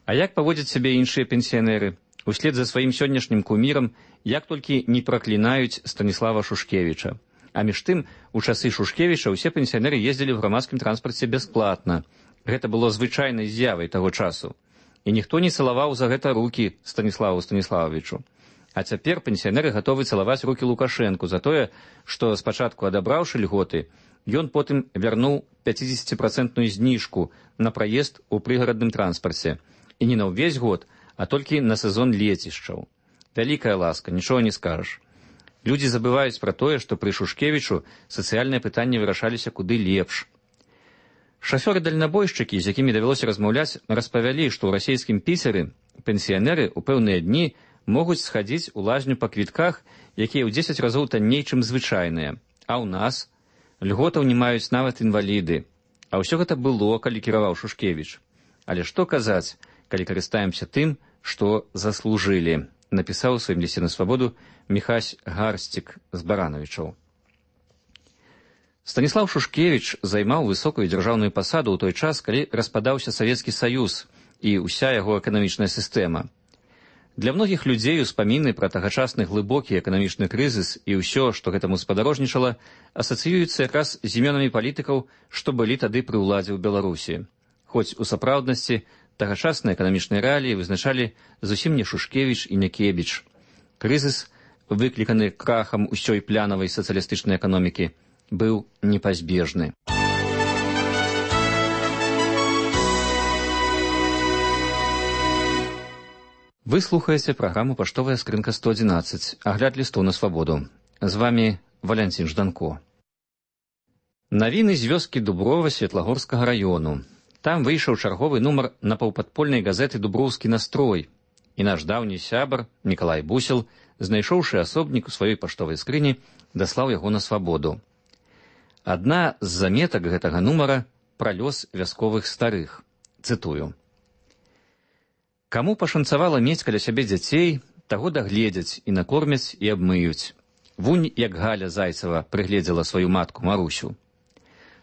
А як паводзяць сябе іншыя пенсіянеры? Услед за сваім сённяшнім кумірам, як толькі не праклінаюць Станіслава Шушкевіча. А між тым, у часы Шушкевіча ўсе пенсіянеры ездзілі ў грамадскім транспарце бясплатна. Гэта было звычайнай з'явай таго часу. І ніхто не цалаваў за гэта рукі Станіславу Станіславовичу. А цяпер пенсіянеры гатовы цалаваць рукі Лукашэнку за тое, што спачатку адабраўшы льготы, ён потым вярнуў 50% зніжку на праезд у прыгарадным транспарце. І не на ўвесь год, а толькі на сезон лецішчаў. Вялікая ласка, нічога не скажаш. Людзі забываюць пра тое, што пры Шушкевічу сацыяльныя пытанні вырашаліся куды лепш. Шафёры-дальнабойшчыкі, з якімі давялося размаўляць, распавялі, што ў расійскім Піцеры пенсіянеры ў пэўныя дні могуць схадзіць у лазню па квітках, якія ў 10 разоў танней, чым звычайныя. А ў нас льготаў не маюць нават інваліды. А ўсё гэта было, калі кіраваў Шушкевіч. Але што казаць, калі карыстаемся тым, што заслужылі, напісаў у сваім лісце на свабоду Міхась Гарсцік з Баранавічаў. Станіслав Шушкевіч займаў высокую дзяржаўную пасаду ў той час, калі распадаўся Савецкі Саюз і ўся яго эканамічная сістэма. Для многіх людзей успаміны пра тагачасны глыбокі эканамічны крызіс і ўсё, што гэтаму спадарожнічала, асацыююцца якраз з імёнамі палітыкаў, што былі тады пры ўладзе ў Беларусі. Хоць у сапраўднасці тагачасныя эканамічныя рэаліі вызначалі зусім не Шушкевіч і не Кебіч. Крызіс, выкліканы крахам усёй плянавай сацыялістычнай эканомікі, быў непазбежны. Вы слухаеце праграму «Паштовая скрынка 111», агляд лістоў на свабоду. З вамі Валянцін Жданко. Навіны з вёскі Дуброва Светлагорскага раёну. Там выйшаў чарговы нумар напаўпадпольнай газеты «Дуброўскі настрой». І наш даўні сябар, Мікалай Бусел, знайшоўшы асобнік у сваёй паштовай скрыні, даслаў яго на свабоду. Адна з заметак гэтага нумара пра лёс вясковых старых. Цытую. «Каму пашанцавала мець каля сябе дзяцей, таго дагледзяць і накормяць і абмыюць. Вунь, як Галя Зайцева прыгледзела сваю матку Марусю.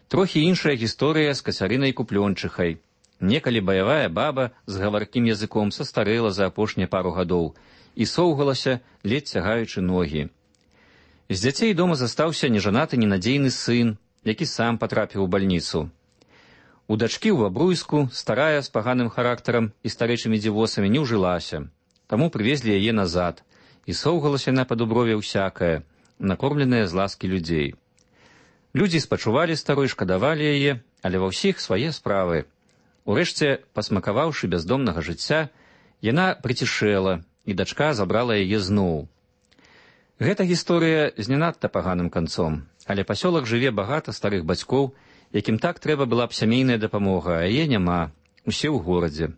Трохі іншая гісторыя з Кацярынай Куплёнчыхай. Некалі баявая баба з гаваркім языком састарэла за апошнія пару гадоў і соўгалася, ледзь цягаючы ногі. З дзяцей дома застаўся нежанаты ненадзейны сын, які сам патрапіў у бальніцу. У дачкі ў Бабруйску старая з паганым характарам і старэчымі дзівосамі не ўжылася, таму прывезлі яе назад, і соўгалася на падуброве ўсякае, накормленая з ласкі людзей. Людзі спачувалі старой, шкадавалі яе, але ва ўсіх свае справы. Урэшце, пасмакаваўшы бяздомнага жыцця, яна прыцішэла, і дачка забрала яе зноў. Гэта гісторыя з не надта паганым канцом, але пасёлак жыве багата старых бацькоў, якім так трэба была б сямейная дапамога, а яе няма, усе ў горадзе.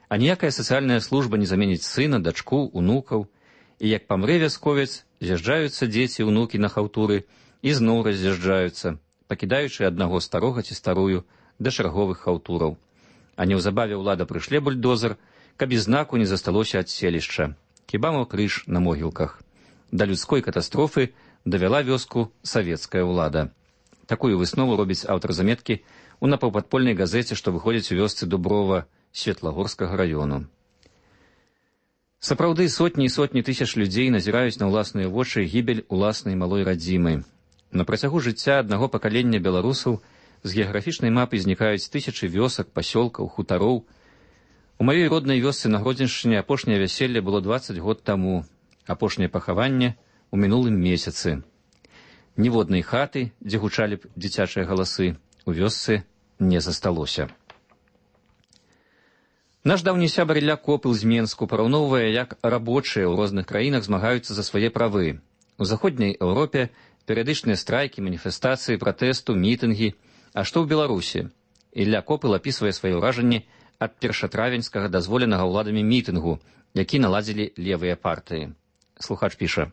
А ніякая сацыяльная служба не заменіць сына, дачку, унукаў, і як памрэ вясковец, з'язджаюцца дзеці, унукі на хаўтуры і зноў раз'язджаюцца, пакідаючы аднаго старога ці старую да чарговых хаўтураў. А неўзабаве ўлада прышле бульдозер, каб і знаку не засталося ад селішча. Хіба мо крыж на могілках. Да людской катастрофы давяла вёску савецкая ўлада. Такую выснову робіць аўтар заметкі ў напаўпадпольнай газеце, што выходзіць у вёсцы Дуброва Светлагорскага раёну. Сапраўды, сотні і сотні тысяч людзей назіраюць на ўласныя вочы гібель уласнай малой радзімы. На працягу жыцця аднаго пакалення беларусаў з геаграфічнай мапы знікаюць тысячы вёсак, пасёлкаў, хутароў. У маёй роднай вёсцы на Гродзеншчыне апошняе вяселле было 20 год таму, апошняе пахаванне ў мінулым месяцы. Ніводнай хаты, дзе гучалі б дзіцячыя галасы, у вёсцы не засталося. Наш даўні сябар Ілля Копыл з Менску параўноўвае, як рабочыя ў розных краінах змагаюцца за свае правы. У заходняй Еўропе перыядычныя страйкі, маніфестацыі, пратэсту, мітынгі. А што ў Беларусі? Ілля Копыл апісвае свае ўражанні ад першатравеньскага дазволенага ўладамі мітынгу, які наладзілі левыя партыі. Слухач піша.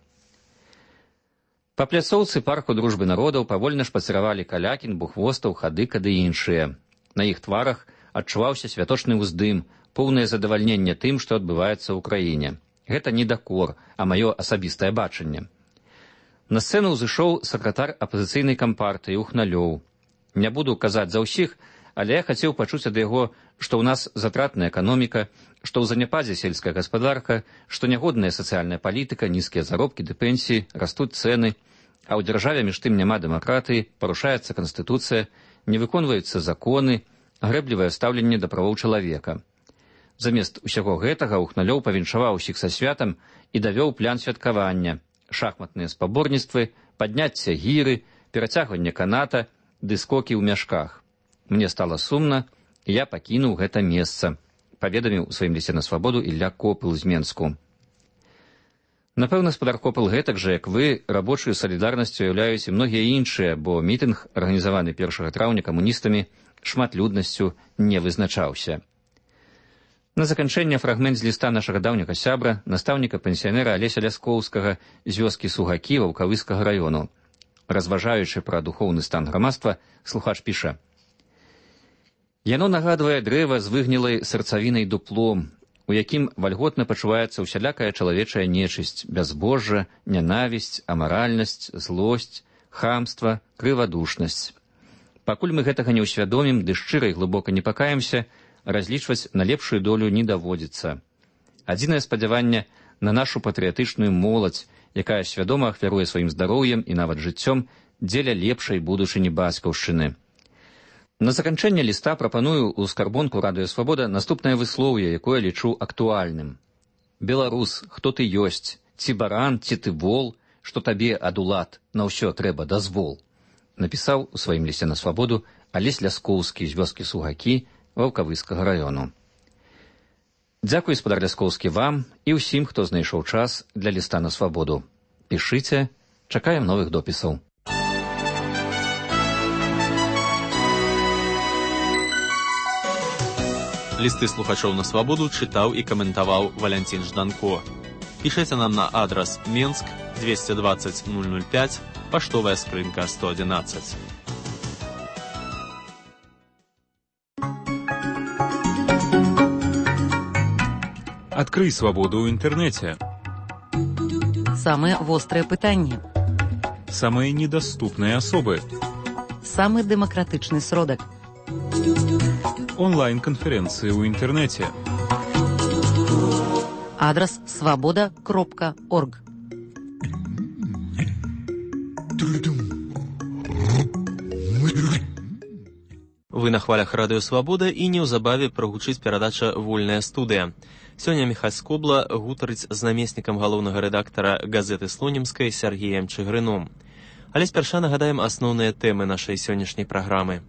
Па пляцоўцы парку дружбы народаў павольна шпацыравалі Калякін, Бухвостаў, Хадыка ды іншыя. На іх тварах адчуваўся святочны ўздым, поўнае задавальненне тым, што адбываецца ў краіне. Гэта не дакор, а маё асабістае бачанне. На сцэну ўзышоў сакратар апазіцыйнай кампартыі Ухналёў. Не буду казаць за ўсіх, але я хацеў пачуць ад яго, што ў нас затратная эканоміка, што ў заняпадзе сельская гаспадарка, што нягодная сацыяльная палітыка, нізкія заробкі ды пенсіі, растуць цэны, а ў дзяржаве між тым няма дэмакратыі, парушаецца канстытуцыя, не выконваюцца законы, грэблівае стаўленне да правоў чалавека. Замест усяго гэтага Ухналёў павіншаваў усіх са святам і давёў план святкавання, шахматныя спаборніцтвы, падняцце гіры, перацягванне каната ды скокі ў мяшках. Мне стала сумна, і я пакінуў гэта месца, паведаміў у сваім лісце на свабоду Ілля Копыл з Менску. Напэўна, спадар Копыл гэтак жа, як вы, рабочую салідарнасцю уяўляюць і многія іншыя, бо мітынг, арганізаваны 1 траўня камуністамі, шматлюднасцю не вызначаўся. На заканчэнне фрагмент з ліста нашага даўняга сябра, настаўніка-пенсіянера Алеся Ляскоўскага з вёскі Сугакі Ваўкавыскага раёну. Разважаючы пра духоўны стан грамадства, слухач піша. Яно нагадвае дрэва з выгнілай сэрцавінай дуплом, у якім вальготна пачуваецца ўсялякая чалавечая нечысць, бязбожжа, нянавісць, амаральнасць, злосць, хамства, крывадушнасць. Пакуль мы гэтага не ўсвядомім ды шчыра і глыбока не пакаемся, разлічваць на лепшую долю не даводзіцца. Адзінае спадзяванне на нашу патрыятычную моладзь, якая свядома ахвяруе сваім здароўем і нават жыццём дзеля лепшай будучыні бацькаўшчыны. На заканчэнне ліста прапаную ў скарбонку Радыё Свабода наступнае выслоўе, якое лічу актуальным. Беларус, хто ты ёсць, ці баран, ці ты вол, што табе ад улад на ўсё трэба дазвол, напісаў у сваім лісце на свабоду Алесь Ляскоўскі з вёскі Сугакі Ваўкавыскага раёну. Дзякуй, спадар Ляскоўскі, вам і ўсім, хто знайшоў час для ліста на свабоду. Пішыце, чакаем новых допісаў. Лісты слухачоў на свабоду чытаў і каментаваў Валянцін Жданко. Пішыце нам на адрас Менск 220 005, паштовая скрынка 111. Адкрый свабоду ў інтэрнэце. Самыя вострыя пытанні. Самыя недаступныя асобы. Самы дэмакратычны сродак. Онлайн-канферэнцыі ў інтэрнэце. Адрас свабода.орг. Вы на хвалях радыё Свабода і неўзабаве прагучыць перадача «Вольная студыя». Сёння Міхась Скобла гутарыць з намеснікам галоўнага рэдактара газеты «Слонімскай» Сергеем Чыгрыном. Але спярша нагадаем асноўныя тэмы нашай сённяшняй праграмы.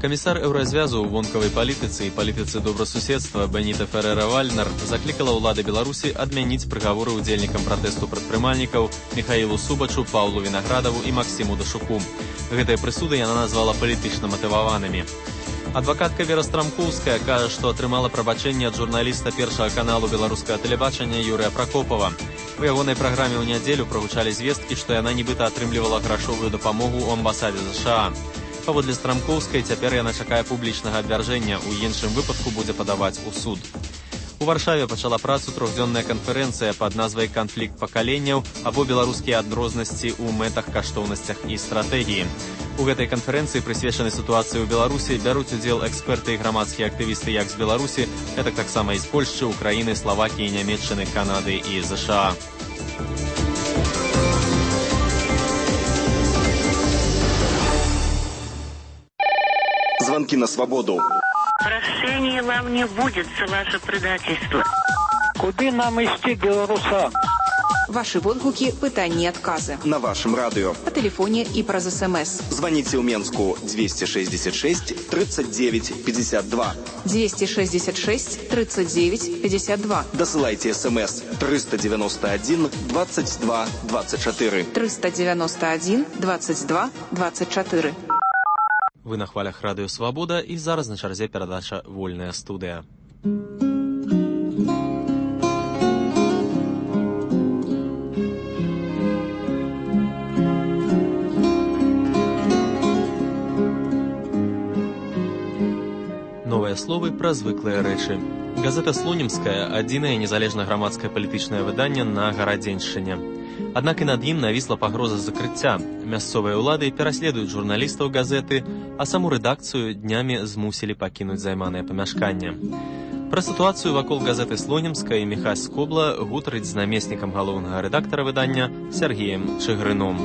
Камісар Еўразвязу ў вонкавай палітыцы і палітыцы добрасуседства Беніта Ферера-Вальнер заклікала ўлады Беларусі адмяніць прыгаворы ўдзельнікам пратэсту прадпрымальнікаў Міхаілу Субачу, Паўлу Вінаградаву і Максіму Дашуку. Гэтыя прысуды яна назвала палітычна матываванымі. Адвакатка Вера Страмкоўская кажа, што атрымала прабачэнне ад журналіста першага каналу беларускага тэлебачання Юрыя Пракопава. У ягонай праграме ў нядзелю прагучалі звесткі, што яна нібыта атрымлівала грашовую дапамогу ў амбасадзе США. Паводле Страмкоўскай, цяпер яна чакае публічнага абвяржэння, у іншым выпадку будзе падаваць у суд. У Варшаве пачала працу трохдзённая канферэнцыя пад назвай «Канфлікт пакаленняў» або беларускія адрознасці ў мэтах, каштоўнасцях і стратэгіі. У гэтай канферэнцыі, прысвечанай сітуацыі ў Беларусі, бяруць удзел эксперты і грамадскія актывісты як з Беларусі, гэтак таксама і з Польшчы, Украіны, Славакіі, Нямецчыны, Канады і ЗША. Звонки на свободу. Прощения вам не будет за ваше предательство. Куды нам ісці, беларусам? Ваши водгуки, пытанні, отказы. На вашем радио. По телефоне и праз СМС. Звоните в Менску 266 39 52. 266 39 52. Досылайте СМС 391 22 24. 391 22 24. Вы на хвалях радыё Свабода і зараз на чарзе перадача «Вольная студыя». Новыя словы пра звыклыя рэчы. Газета «Слонімская» – адзінае незалежнае грамадскае палітычнае выданне на Гарадзеншчыне. Аднак і над ім навісла пагроза закрыцця. Мясцовыя ўлады пераследуюць журналістаў газеты, а саму рэдакцыю днямі змусілі пакінуць займанае памяшканне. Пра сітуацыю вакол газеты «Слонімская» Міхась Скобла гутарыць з намеснікам галоўнага рэдактара выдання Сергеем Чыгрыном.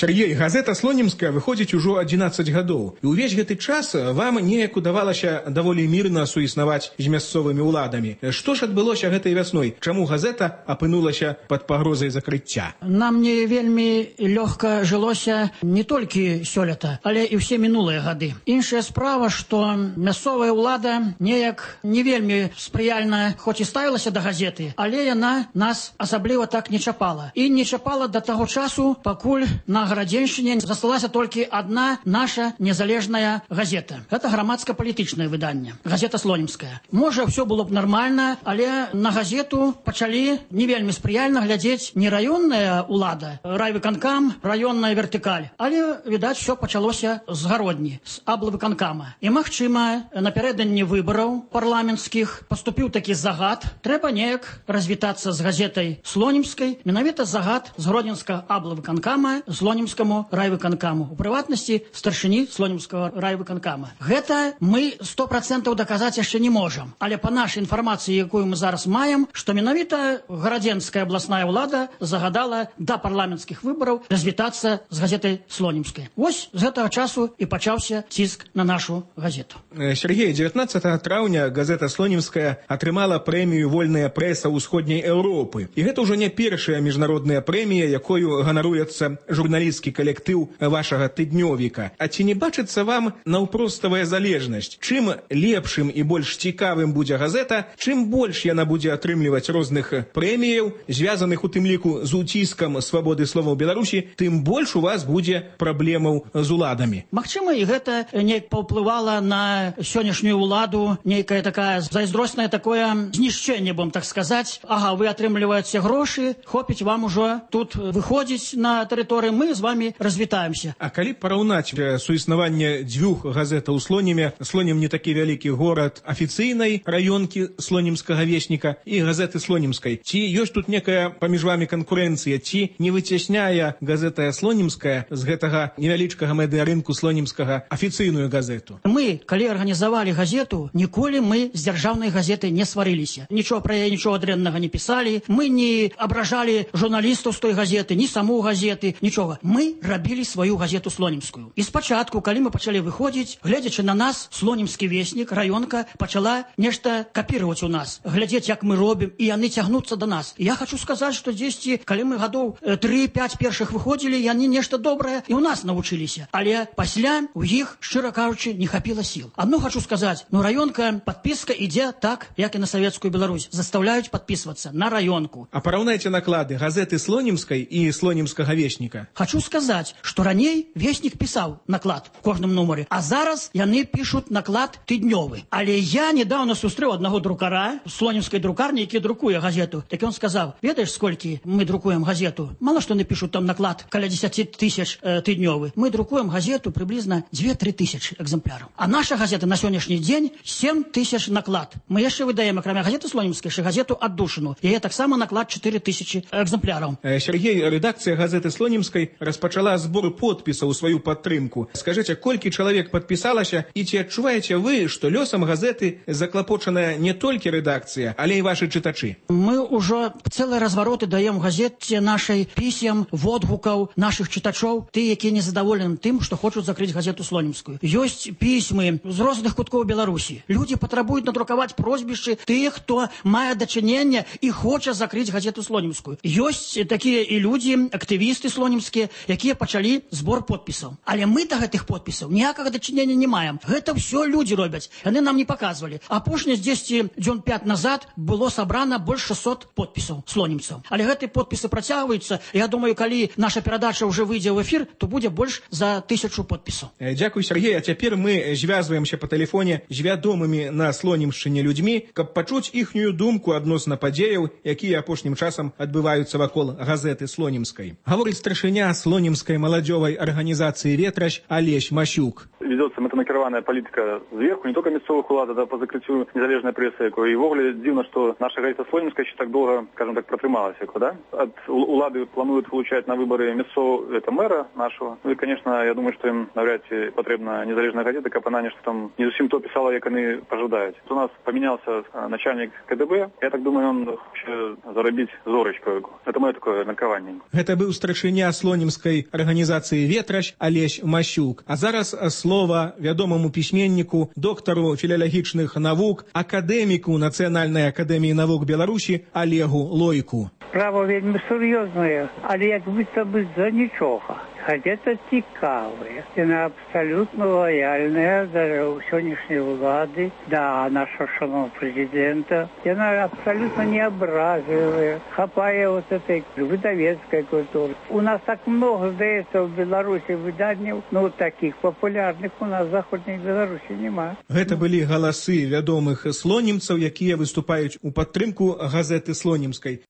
Сергей, газета «Слонімская» выходзіць ужо 11 гадоў. І ўвесь гэты час вам неяк удавалася даволі мірна суіснаваць з мясцовымі ўладамі. Што ж адбылося гэтай вясной? Чаму газета апынулася пад пагрозай закрыцця? Нам не вельмі лёгка жылося не толькі сёлета, але і ўсе мінулыя гады. Іншая справа, што мясцовая ўлада неяк не вельмі спрыяльна, хоць і ставілася да газеты, але яна нас асабліва так не чапала. І не чапала да таго часу, пакуль на Гарадзеншчыне засталася толькі адна наша незалежная газета. Гэта грамадска-палітычнае выданне. Газета «Слонімская». Можа, ўсё было б нармальна, але на газету пачалі не вельмі спрыяльна глядзець не раённая ўлада, райвыканкам, раённая вертыкаль, але, відаць, усё пачалося з гародні, з аблвыканкама. І, магчыма, напярэдадні выбараў парламенцкіх паступіў такі загад. Трэба неяк развітацца з газетай «Слонімскай», менавіта загад з гродзенскага аблвыканкама Слонімскаму райвыканкаму, у прыватнасці старшыні Слонімскага райвыканкама. Гэта мы 100% даказаць яшчэ не можам, але па нашай інфармацыі, якую мы зараз маем, што менавіта гарадзенская абласная ўлада загадала да парламенцкіх выбараў развітацца з газетай «Слонімскай». Вось з гэтага часу і пачаўся ціск на нашу газету. Сергей, 19 траўня газета «Слонімская» атрымала прэмію «Вольная прэса ўсходняй Еўропы». І гэта ўжо не першая міжнародная прэмія, якою ганаруецца журналіст журналісцкі калектыў вашага тыднёвіка. А ці не бачыцца вам наўпроставая залежнасць? Чым лепшым і больш цікавым будзе газета, чым больш яна будзе атрымліваць розных прэміяў, звязаных у тым ліку з уціскам свабоды слова ў Беларусі, тым больш у вас будзе праблемаў з уладамі. Магчыма, і гэта неяк паўплывала на сённяшнюю ўладу, нейкая такая зайздросная такое знішчэнне, будем так сказаць. Ага, вы атрымліваеце грошы, хопіць вам ужо тут выходзіць на тэрыторыю, мы з вами развітаемся. А калі параўнаць суіснаванне дзвюх газетаў у Слонеме, Слонем не такі вялікі горад афіцыйнай раёнкі слонімскага весніка і газеты слонімскай, ці ёсць тут некая паміж вами канкурэнцыя, ці не выцясняе газета слонімская з гэтага невялічкага медыарынку слонімскага афіцыйную газету? Мы, калі арганізавалі газету, ніколі мы з дзяржаўнай газетай не сварыліся. Нічого пра яе, нічого дрэннага не пісалі, мы не абражалі журналістаў з той газеты, ні саму газеты, нічога. Мы рабілі сваю газету слонімскую. І спачатку, калі мы пачалі выходзіць, глядзячы на нас, слонімскі веснік, раёнка пачала нешта капіраваць у нас, глядзець, як мы робім, і яны цягнуцца да нас. І я хочу сказаць, што дзесьці, калі мы гадоў 3-5 першых выходзілі, яны нешта добрае і у нас навучыліся. Але пасля у іх, шчыра кажучы, не хапіла сіл. Адно хочу сказаць, раёнка, падпіска ідзе так, як і на Савецкую Беларусь. Заставляюць падпісвацца на раёнку. А параўнайце наклады газеты слонімскай і слонімскага весніка. Хочу сказаць, што раней веснік пісаў наклад в кожным нумары, а зараз яны пішуць наклад тыднёвы. Але я недавно сустрэў аднаго друкара слонімскай друкарні, які друкуе газету. Так ён сказаў, ведаеш, сколькі мы друкуем газету? Мало што напішуць там наклад, каля 10 тысяч тыднёвы. Мы друкуем газету приблизно 2-3 тысячи экземпляраў. А наша газета на сённяшні дзень 7 тысяч наклад. Мы яшчэ выдаем, акрамя газеты слонімскай, газету «Аддушыну». Яе таксама наклад 4 тысячи экземпляраў. Сергей, рэдакцыя газеты слонімскай распачала збор подпісаў у сваю падтрымку. Скажыце, колькі чалавек падпісалася, і ці адчуваеце вы, што лёсам газеты заклапочаная не толькі рэдакцыя, але і вашы чытачы? Мы ўжо цэлыя развароты даем газеце нашай пісем, водгукаў нашых чытачоў, ты, якія незадаволены тым, што хочуць закрыць газету слонімскую. Ёсць пісьмы з розных куткоў Беларусі. Людзі патрабуюць надрукаваць прозвішчы тых, хто мае дачыненне і хоча закрыць газету слонімскую. Ёсць такія і людзі, актывісты слонімскія, якія пачалі збор подпісаў. Але мы да гэтых подпісаў ніякага дачынення не маем. Гэта ўсё людзі робяць. Яны нам не паказвалі. Апошні дзесьці дзён 5 назад было сабрана больш 600 подпісаў слонімцаў. Але гэтыя подпісы працягваюцца. Я думаю, калі наша перадача ўжо выйдзе ў эфір, то будзе больш за 1000 подпісаў. Дзякуй, Сергей. А цяпер мы звязваемся па тэлефоне з вядомымі на Слонімшчыне людзьмі, каб пачуць іхнюю думку адносна падзеяў, якія апошнім часам адбываюцца вакол газеты слонімскай. Гаворыць старшыня слонімскай маладзёвай арганізацыі «Ветращ» Алесь Масюк. Ведется мэтанакіраваная палітыка зверху, не только мясцовых улад, а по закрыццю незалежнай прэсы, якой. І ввогуле дзіўна, што наша газета слонімская еще так долго, скажем так, протрымалася, да? От улады плануют получать на выборы мясцового, это мэра нашего. Ну и, конечно, я думаю, что им навряд ці потрібна незалежная газета, каб она нешта там не зусім то писала, як они пожадаюць. У нас поменялся начальник КДБ. Я так думаю, он хоче заробить зорочку. Это мое такое меркаванне. Гэта быў старшыня слонімскай арганізацыі «Ветращ» Алесь Масюк. А зараз слова вядомаму пісьменніку, доктару філалагічных навук, акадэміку Нацыянальнай акадэміі навук Беларусі Олегу Лойку. Справа вельмі сур'ёзная, але як быццам бы за нічога. Газета цікавая, яна абсалютна лояльная да сённяшняй улады, да нашого шановного прэзідэнта. Яна абсалютна не абразлівая, хапае вот этой выдавецкай культуры. У нас так много, здаецца, в Беларусі выданняў, но таких папулярных у нас в Заходняй Беларусі нема. Гэта былі галасы вядомых слонімцаў, якія выступаюць у падтрымку газеты слонімскай.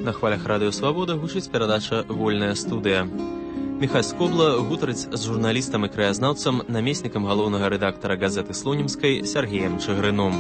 На хвалях радыё «Свабода» гучыць перадача «Вольная студыя». Міхась Скобла гутарыць з журналістам і краязнаўцам, намеснікам галоўнага рэдактара газеты слонімскай Сергеем Чыгрыном.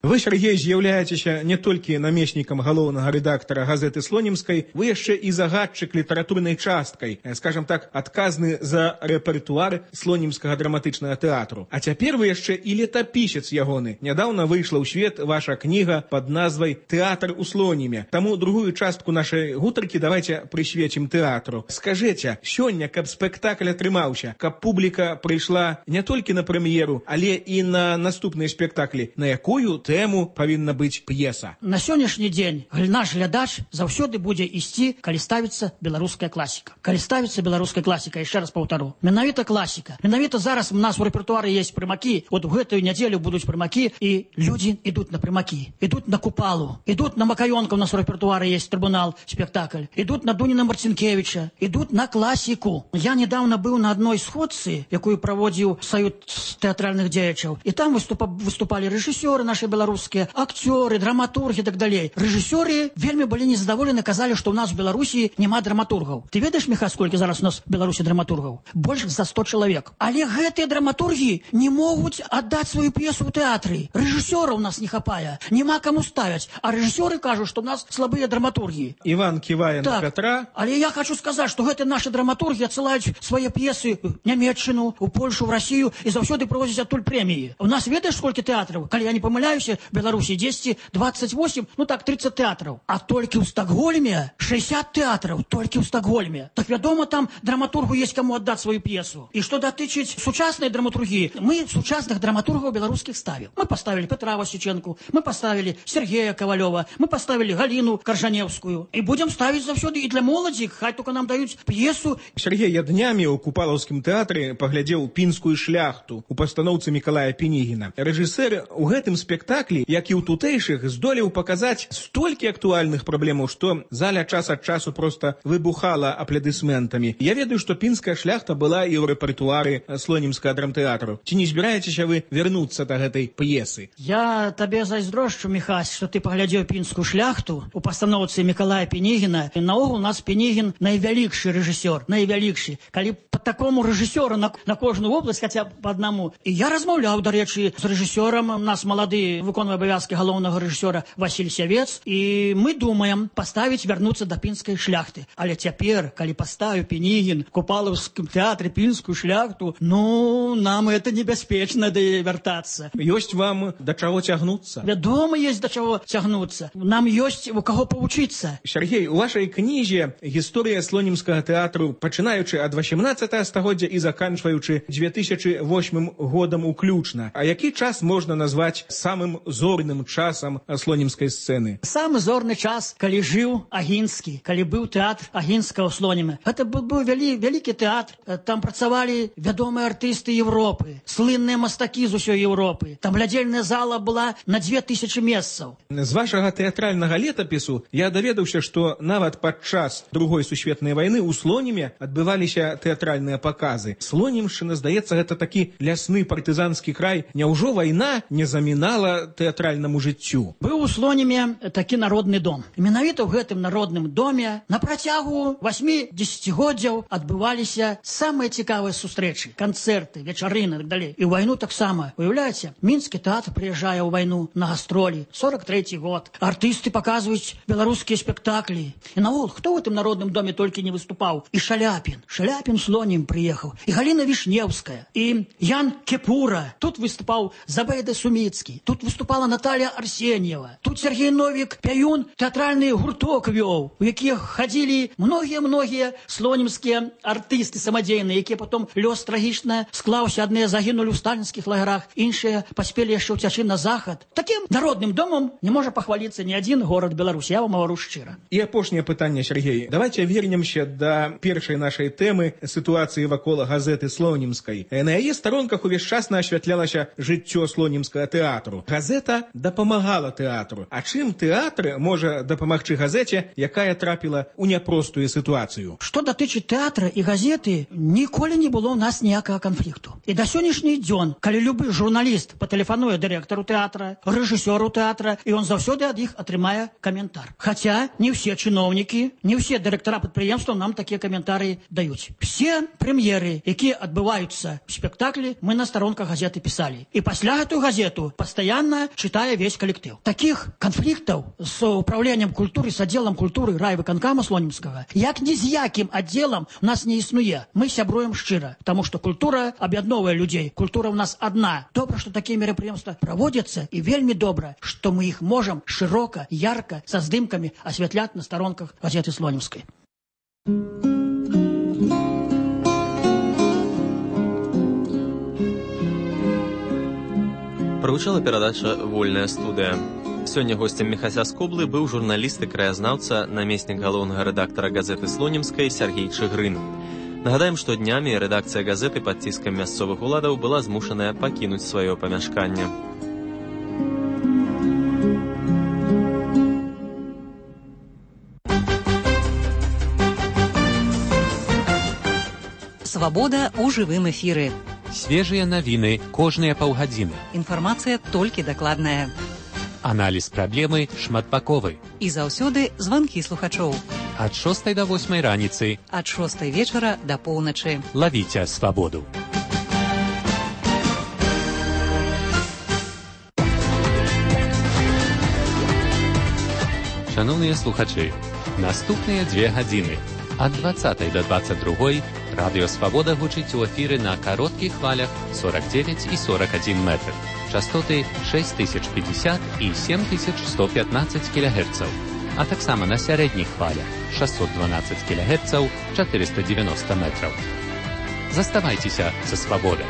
Вы, Сергей, з'яўляецеся не толькі намеснікам галоўнага рэдактара газеты «Слонімскай», вы яшчэ і загадчык літаратурнай часткай, скажем так, адказны за рэпертуар слонімскага драматычнага тэатру. А цяпер вы яшчэ і летапісец ягоны. Нядаўна выйшла ў свет ваша кніга пад назвай «Тэатр у Слоніме». Таму другую частку нашай гутаркі давайте прысвецім тэатру. Скажыце, сёння, каб спектакль атрымаўся, каб публіка прыйшла не толькі на прэм'еру, але і на наступныя спектаклі, на якую тэму павінна быць п'еса? На сённяшні дзень наш глядач заўсёды будзе ісці, калі ставіцца беларуская класіка. Калі ставіцца беларуская класіка, яшчэ раз паўтару, менавіта класіка. Менавіта зараз у нас у рэпертуары есть прымакі, вот у гэтую нядзелю будуць прымакі, і людзі ідуць на прымакі, ідуць на Купалу, ідуць на Макаёнка, у нас у рэпертуары есть трибунал, спектакль, ідуць на Дуніна Марцінкевіча, ідуць на класіку. Я недавно быў на адной сходцы, якую праводзіў Саюз тэатральных дзеячаў, і там выступалі рэжысёры наши беларускія, акцёры, драматурги и так далее. Режиссеры вельмі былі незадаволены, казалі, што ў нас в Беларусі няма драматургаў. Ты ведаеш, Міха, сколькі зараз у нас в Беларусі драматургаў? Больш за 100 чалавек. Але гэтыя драматургі не могуць аддаць сваю п'есу ў тэатры. Рэжысёраў у нас не хапае, няма каму ставяць, а рэжысёры кажуць, што ў нас слабыя драматургі. Іван ківае на Пятра. Але я хочу сказаць, што гэтыя наши драматургі адсылаюць свае п'есы ў Нямецчыну, у Польшу, в Россию і заўсёды прывозяць адтуль прэміі. У нас ведаеш, сколькі тэатраў? Калі я не памыляюся, в Беларуси 28, ну так, 30 театров. А только в Стокгольме 60 театров, только в Стокгольме. Так, вядома, там драматургу есть кому отдать свою пьесу. И что дотычить сучасной драматургии, мы сучасных драматургов белорусских ставим. Мы поставили Петра Васюченку, мы поставили Сергея Ковалева, мы поставили Галину Коржаневскую. И будем ставить завсёды и для молоді, хай только нам дают пьесу. Сергей, я днями у Купалаўскім тэатры паглядзеў «Пінскую шляхту» у пастаноўцы Мікалая Пенігіна. Рэжысэр у гэтым спектаклі, як і ў тутэйшых, здолеў паказаць столькі актуальных праблемаў, што заля час ад часу просто выбухала аплодысментамі. Я ведаю, што «Пінская шляхта» была і ў рэпертуары Слонімскага драмтэатру. Ці не збіраецеся вы вярнуцца да гэтай п'есы? Я табе зайздрошчу, Міхась, што ты паглядзеў «Пінскую шляхту» у пастаноўцы Мікалая Пенігіна. І наогул у нас Пенігін найвялікшы рэжысёр, найвялікшы. Калі по такому рэжысёру на кожную область, хаця б по одному. І я размаўляў, дарэчы, з рэжысёрам, у нас малады выконвае абавязкі галоўнага рэжысёра Васіль Сявец, і мы думаем паставіць, вярнуцца да «Пінскай шляхты». Але цяпер, калі паставіў Пенігін в Купалаўскім тэатры «Пінскую шляхту», ну, нам это небяспечна вяртацца. Ёсць вам да чаго цягнуцца? Вядома, есть да чаго цягнуцца. Нам ёсць у каго павучыцца. Сергей, у вашай кнізе гісторыя слонімскага тэатру, пачынаючы ад 18 стагоддзя і заканчваючы 2008 годам уключна. А які час можна назваць самым зорным часам слонімскай сцэны? Самы зорны час, калі жыў Агінскі, калі быў тэатр Агінскага ў Слоніме. Гэта быў вялікі тэатр. Там працавалі вядомыя артысты Европы, слынныя мастакі з усёй Европы. Там глядзельная зала была на 2000 месцаў. З вашага тэатральнага летапісу я даведаўся, што нават падчас Другой сусветнай вайны ў Слоніме адбываліся тэатральныя паказы. Слонімшчына, здаецца, гэта такі лясны партызанскі край. Няўжо вайна не замінала тэатральнаму жыццю? Быў у Слоніме такі народны дом. Менавіта ў гэтым народным доме на працягу 8-10годдзяў адбываліся самыя цікавыя сустрэчы, канцэрты, вечарыны і так далей. І ў вайну таксама. Уяўляеце, Мінскі тэатр прыязджае ў вайну на гастролі, 43-й год. Артысты паказваюць беларускія спектаклі. І наогул, хто ў гэтым народным доме толькі не выступаў? І Шаляпін. Шаляпін Слонім прыехаў. І Галіна Вішнеўская. І Ян Кепура. Тут выступаў Забайда Суміцкі. Тут выступала Наталья Арсеньева. Тут Сергей Новік Пяюн тэатральны гурток вёў, у якіх хадзілі многія слонімскія артысты самадзейныя, якія потом лёс трагічна склаўся. Адныя загінулі ў сталінскіх лагерах, іншыя паспелі яшчэ ўцячы на захад. Такім народным домом не можа пахваліцца ні адзін горад Беларусі. Я вам гавару шчыра. І апошняе пытанне, Сергей. Давайте вернемся да першай нашай тэмы сітуацыі вакол газеты Слонімскай. На яе старонках увесь час асвятлялася жыццё слонімскага тэатру. Газета дапамагала тэатру. А чым тэатр можа дапамагчы газеце, якая трапіла ў няпростую сітуацыю? Што датычыць тэатра і газеты, ніколі не было ў нас ніякага канфлікту. І да сённяшні дзён, калі любы журналіст патэлефануе дырэктару тэатра, рэжысёру тэатра, і ён заўсёды ад іх атрымае каментар. Хаця не ўсе чыноўнікі, не ўсе дырэктара прадпрыемстваў нам такія каментары даюць. Все прэм'еры, якія адбываюцца ў спектаклі, мы на старонках газеты пісалі. І пасля гэтую газету пастаянна удивленно читая весь коллектив. Таких конфликтов с управлением культуры, с отделом культуры райвыканкама Слонимского, як ні з яким отделом у нас не існуе. Мы сябруем шчыра, потому что культура объединовая людей. Культура у нас одна. Добро, что такие мероприятия проводятся, и вельми добро, что мы их можем широко, ярко, со здымками осветлять на сторонках газеты Слонимской. Прагучала перадача «Вольная студыя». Сёння госцем Міхася Скоблы быў журналіст і краязнаўца, намеснік галоўнага рэдактара газеты Слонімскай Сяргей Чыгрын. Нагадаем, што днямі рэдакцыя газеты пад ціскам мясцовых уладаў была змушаная пакінуць сваё памяшканне. Свабода ў жывым эфіры. Свежыя навіны кожныя паўгадзіны. Інфармацыя толькі дакладная. Аналіз праблемы шматбаковы. І заўсёды званкі слухачоў. Ад 6 до 8 раніцы. Ад 6 вечара да поўначы. Лавіце свабоду. Шановныя слухачы, наступныя 2 гадзіны. Ад 20 до 22 радыё «Свабода» гучыць у эфіры на кароткіх хвалях 49 і 41 метр. Частоты 6050 і 7115 кГц. А таксама на сярэдніх хвалях 612 кГц, 490 метраў. Заставайцеся са «Свабодай».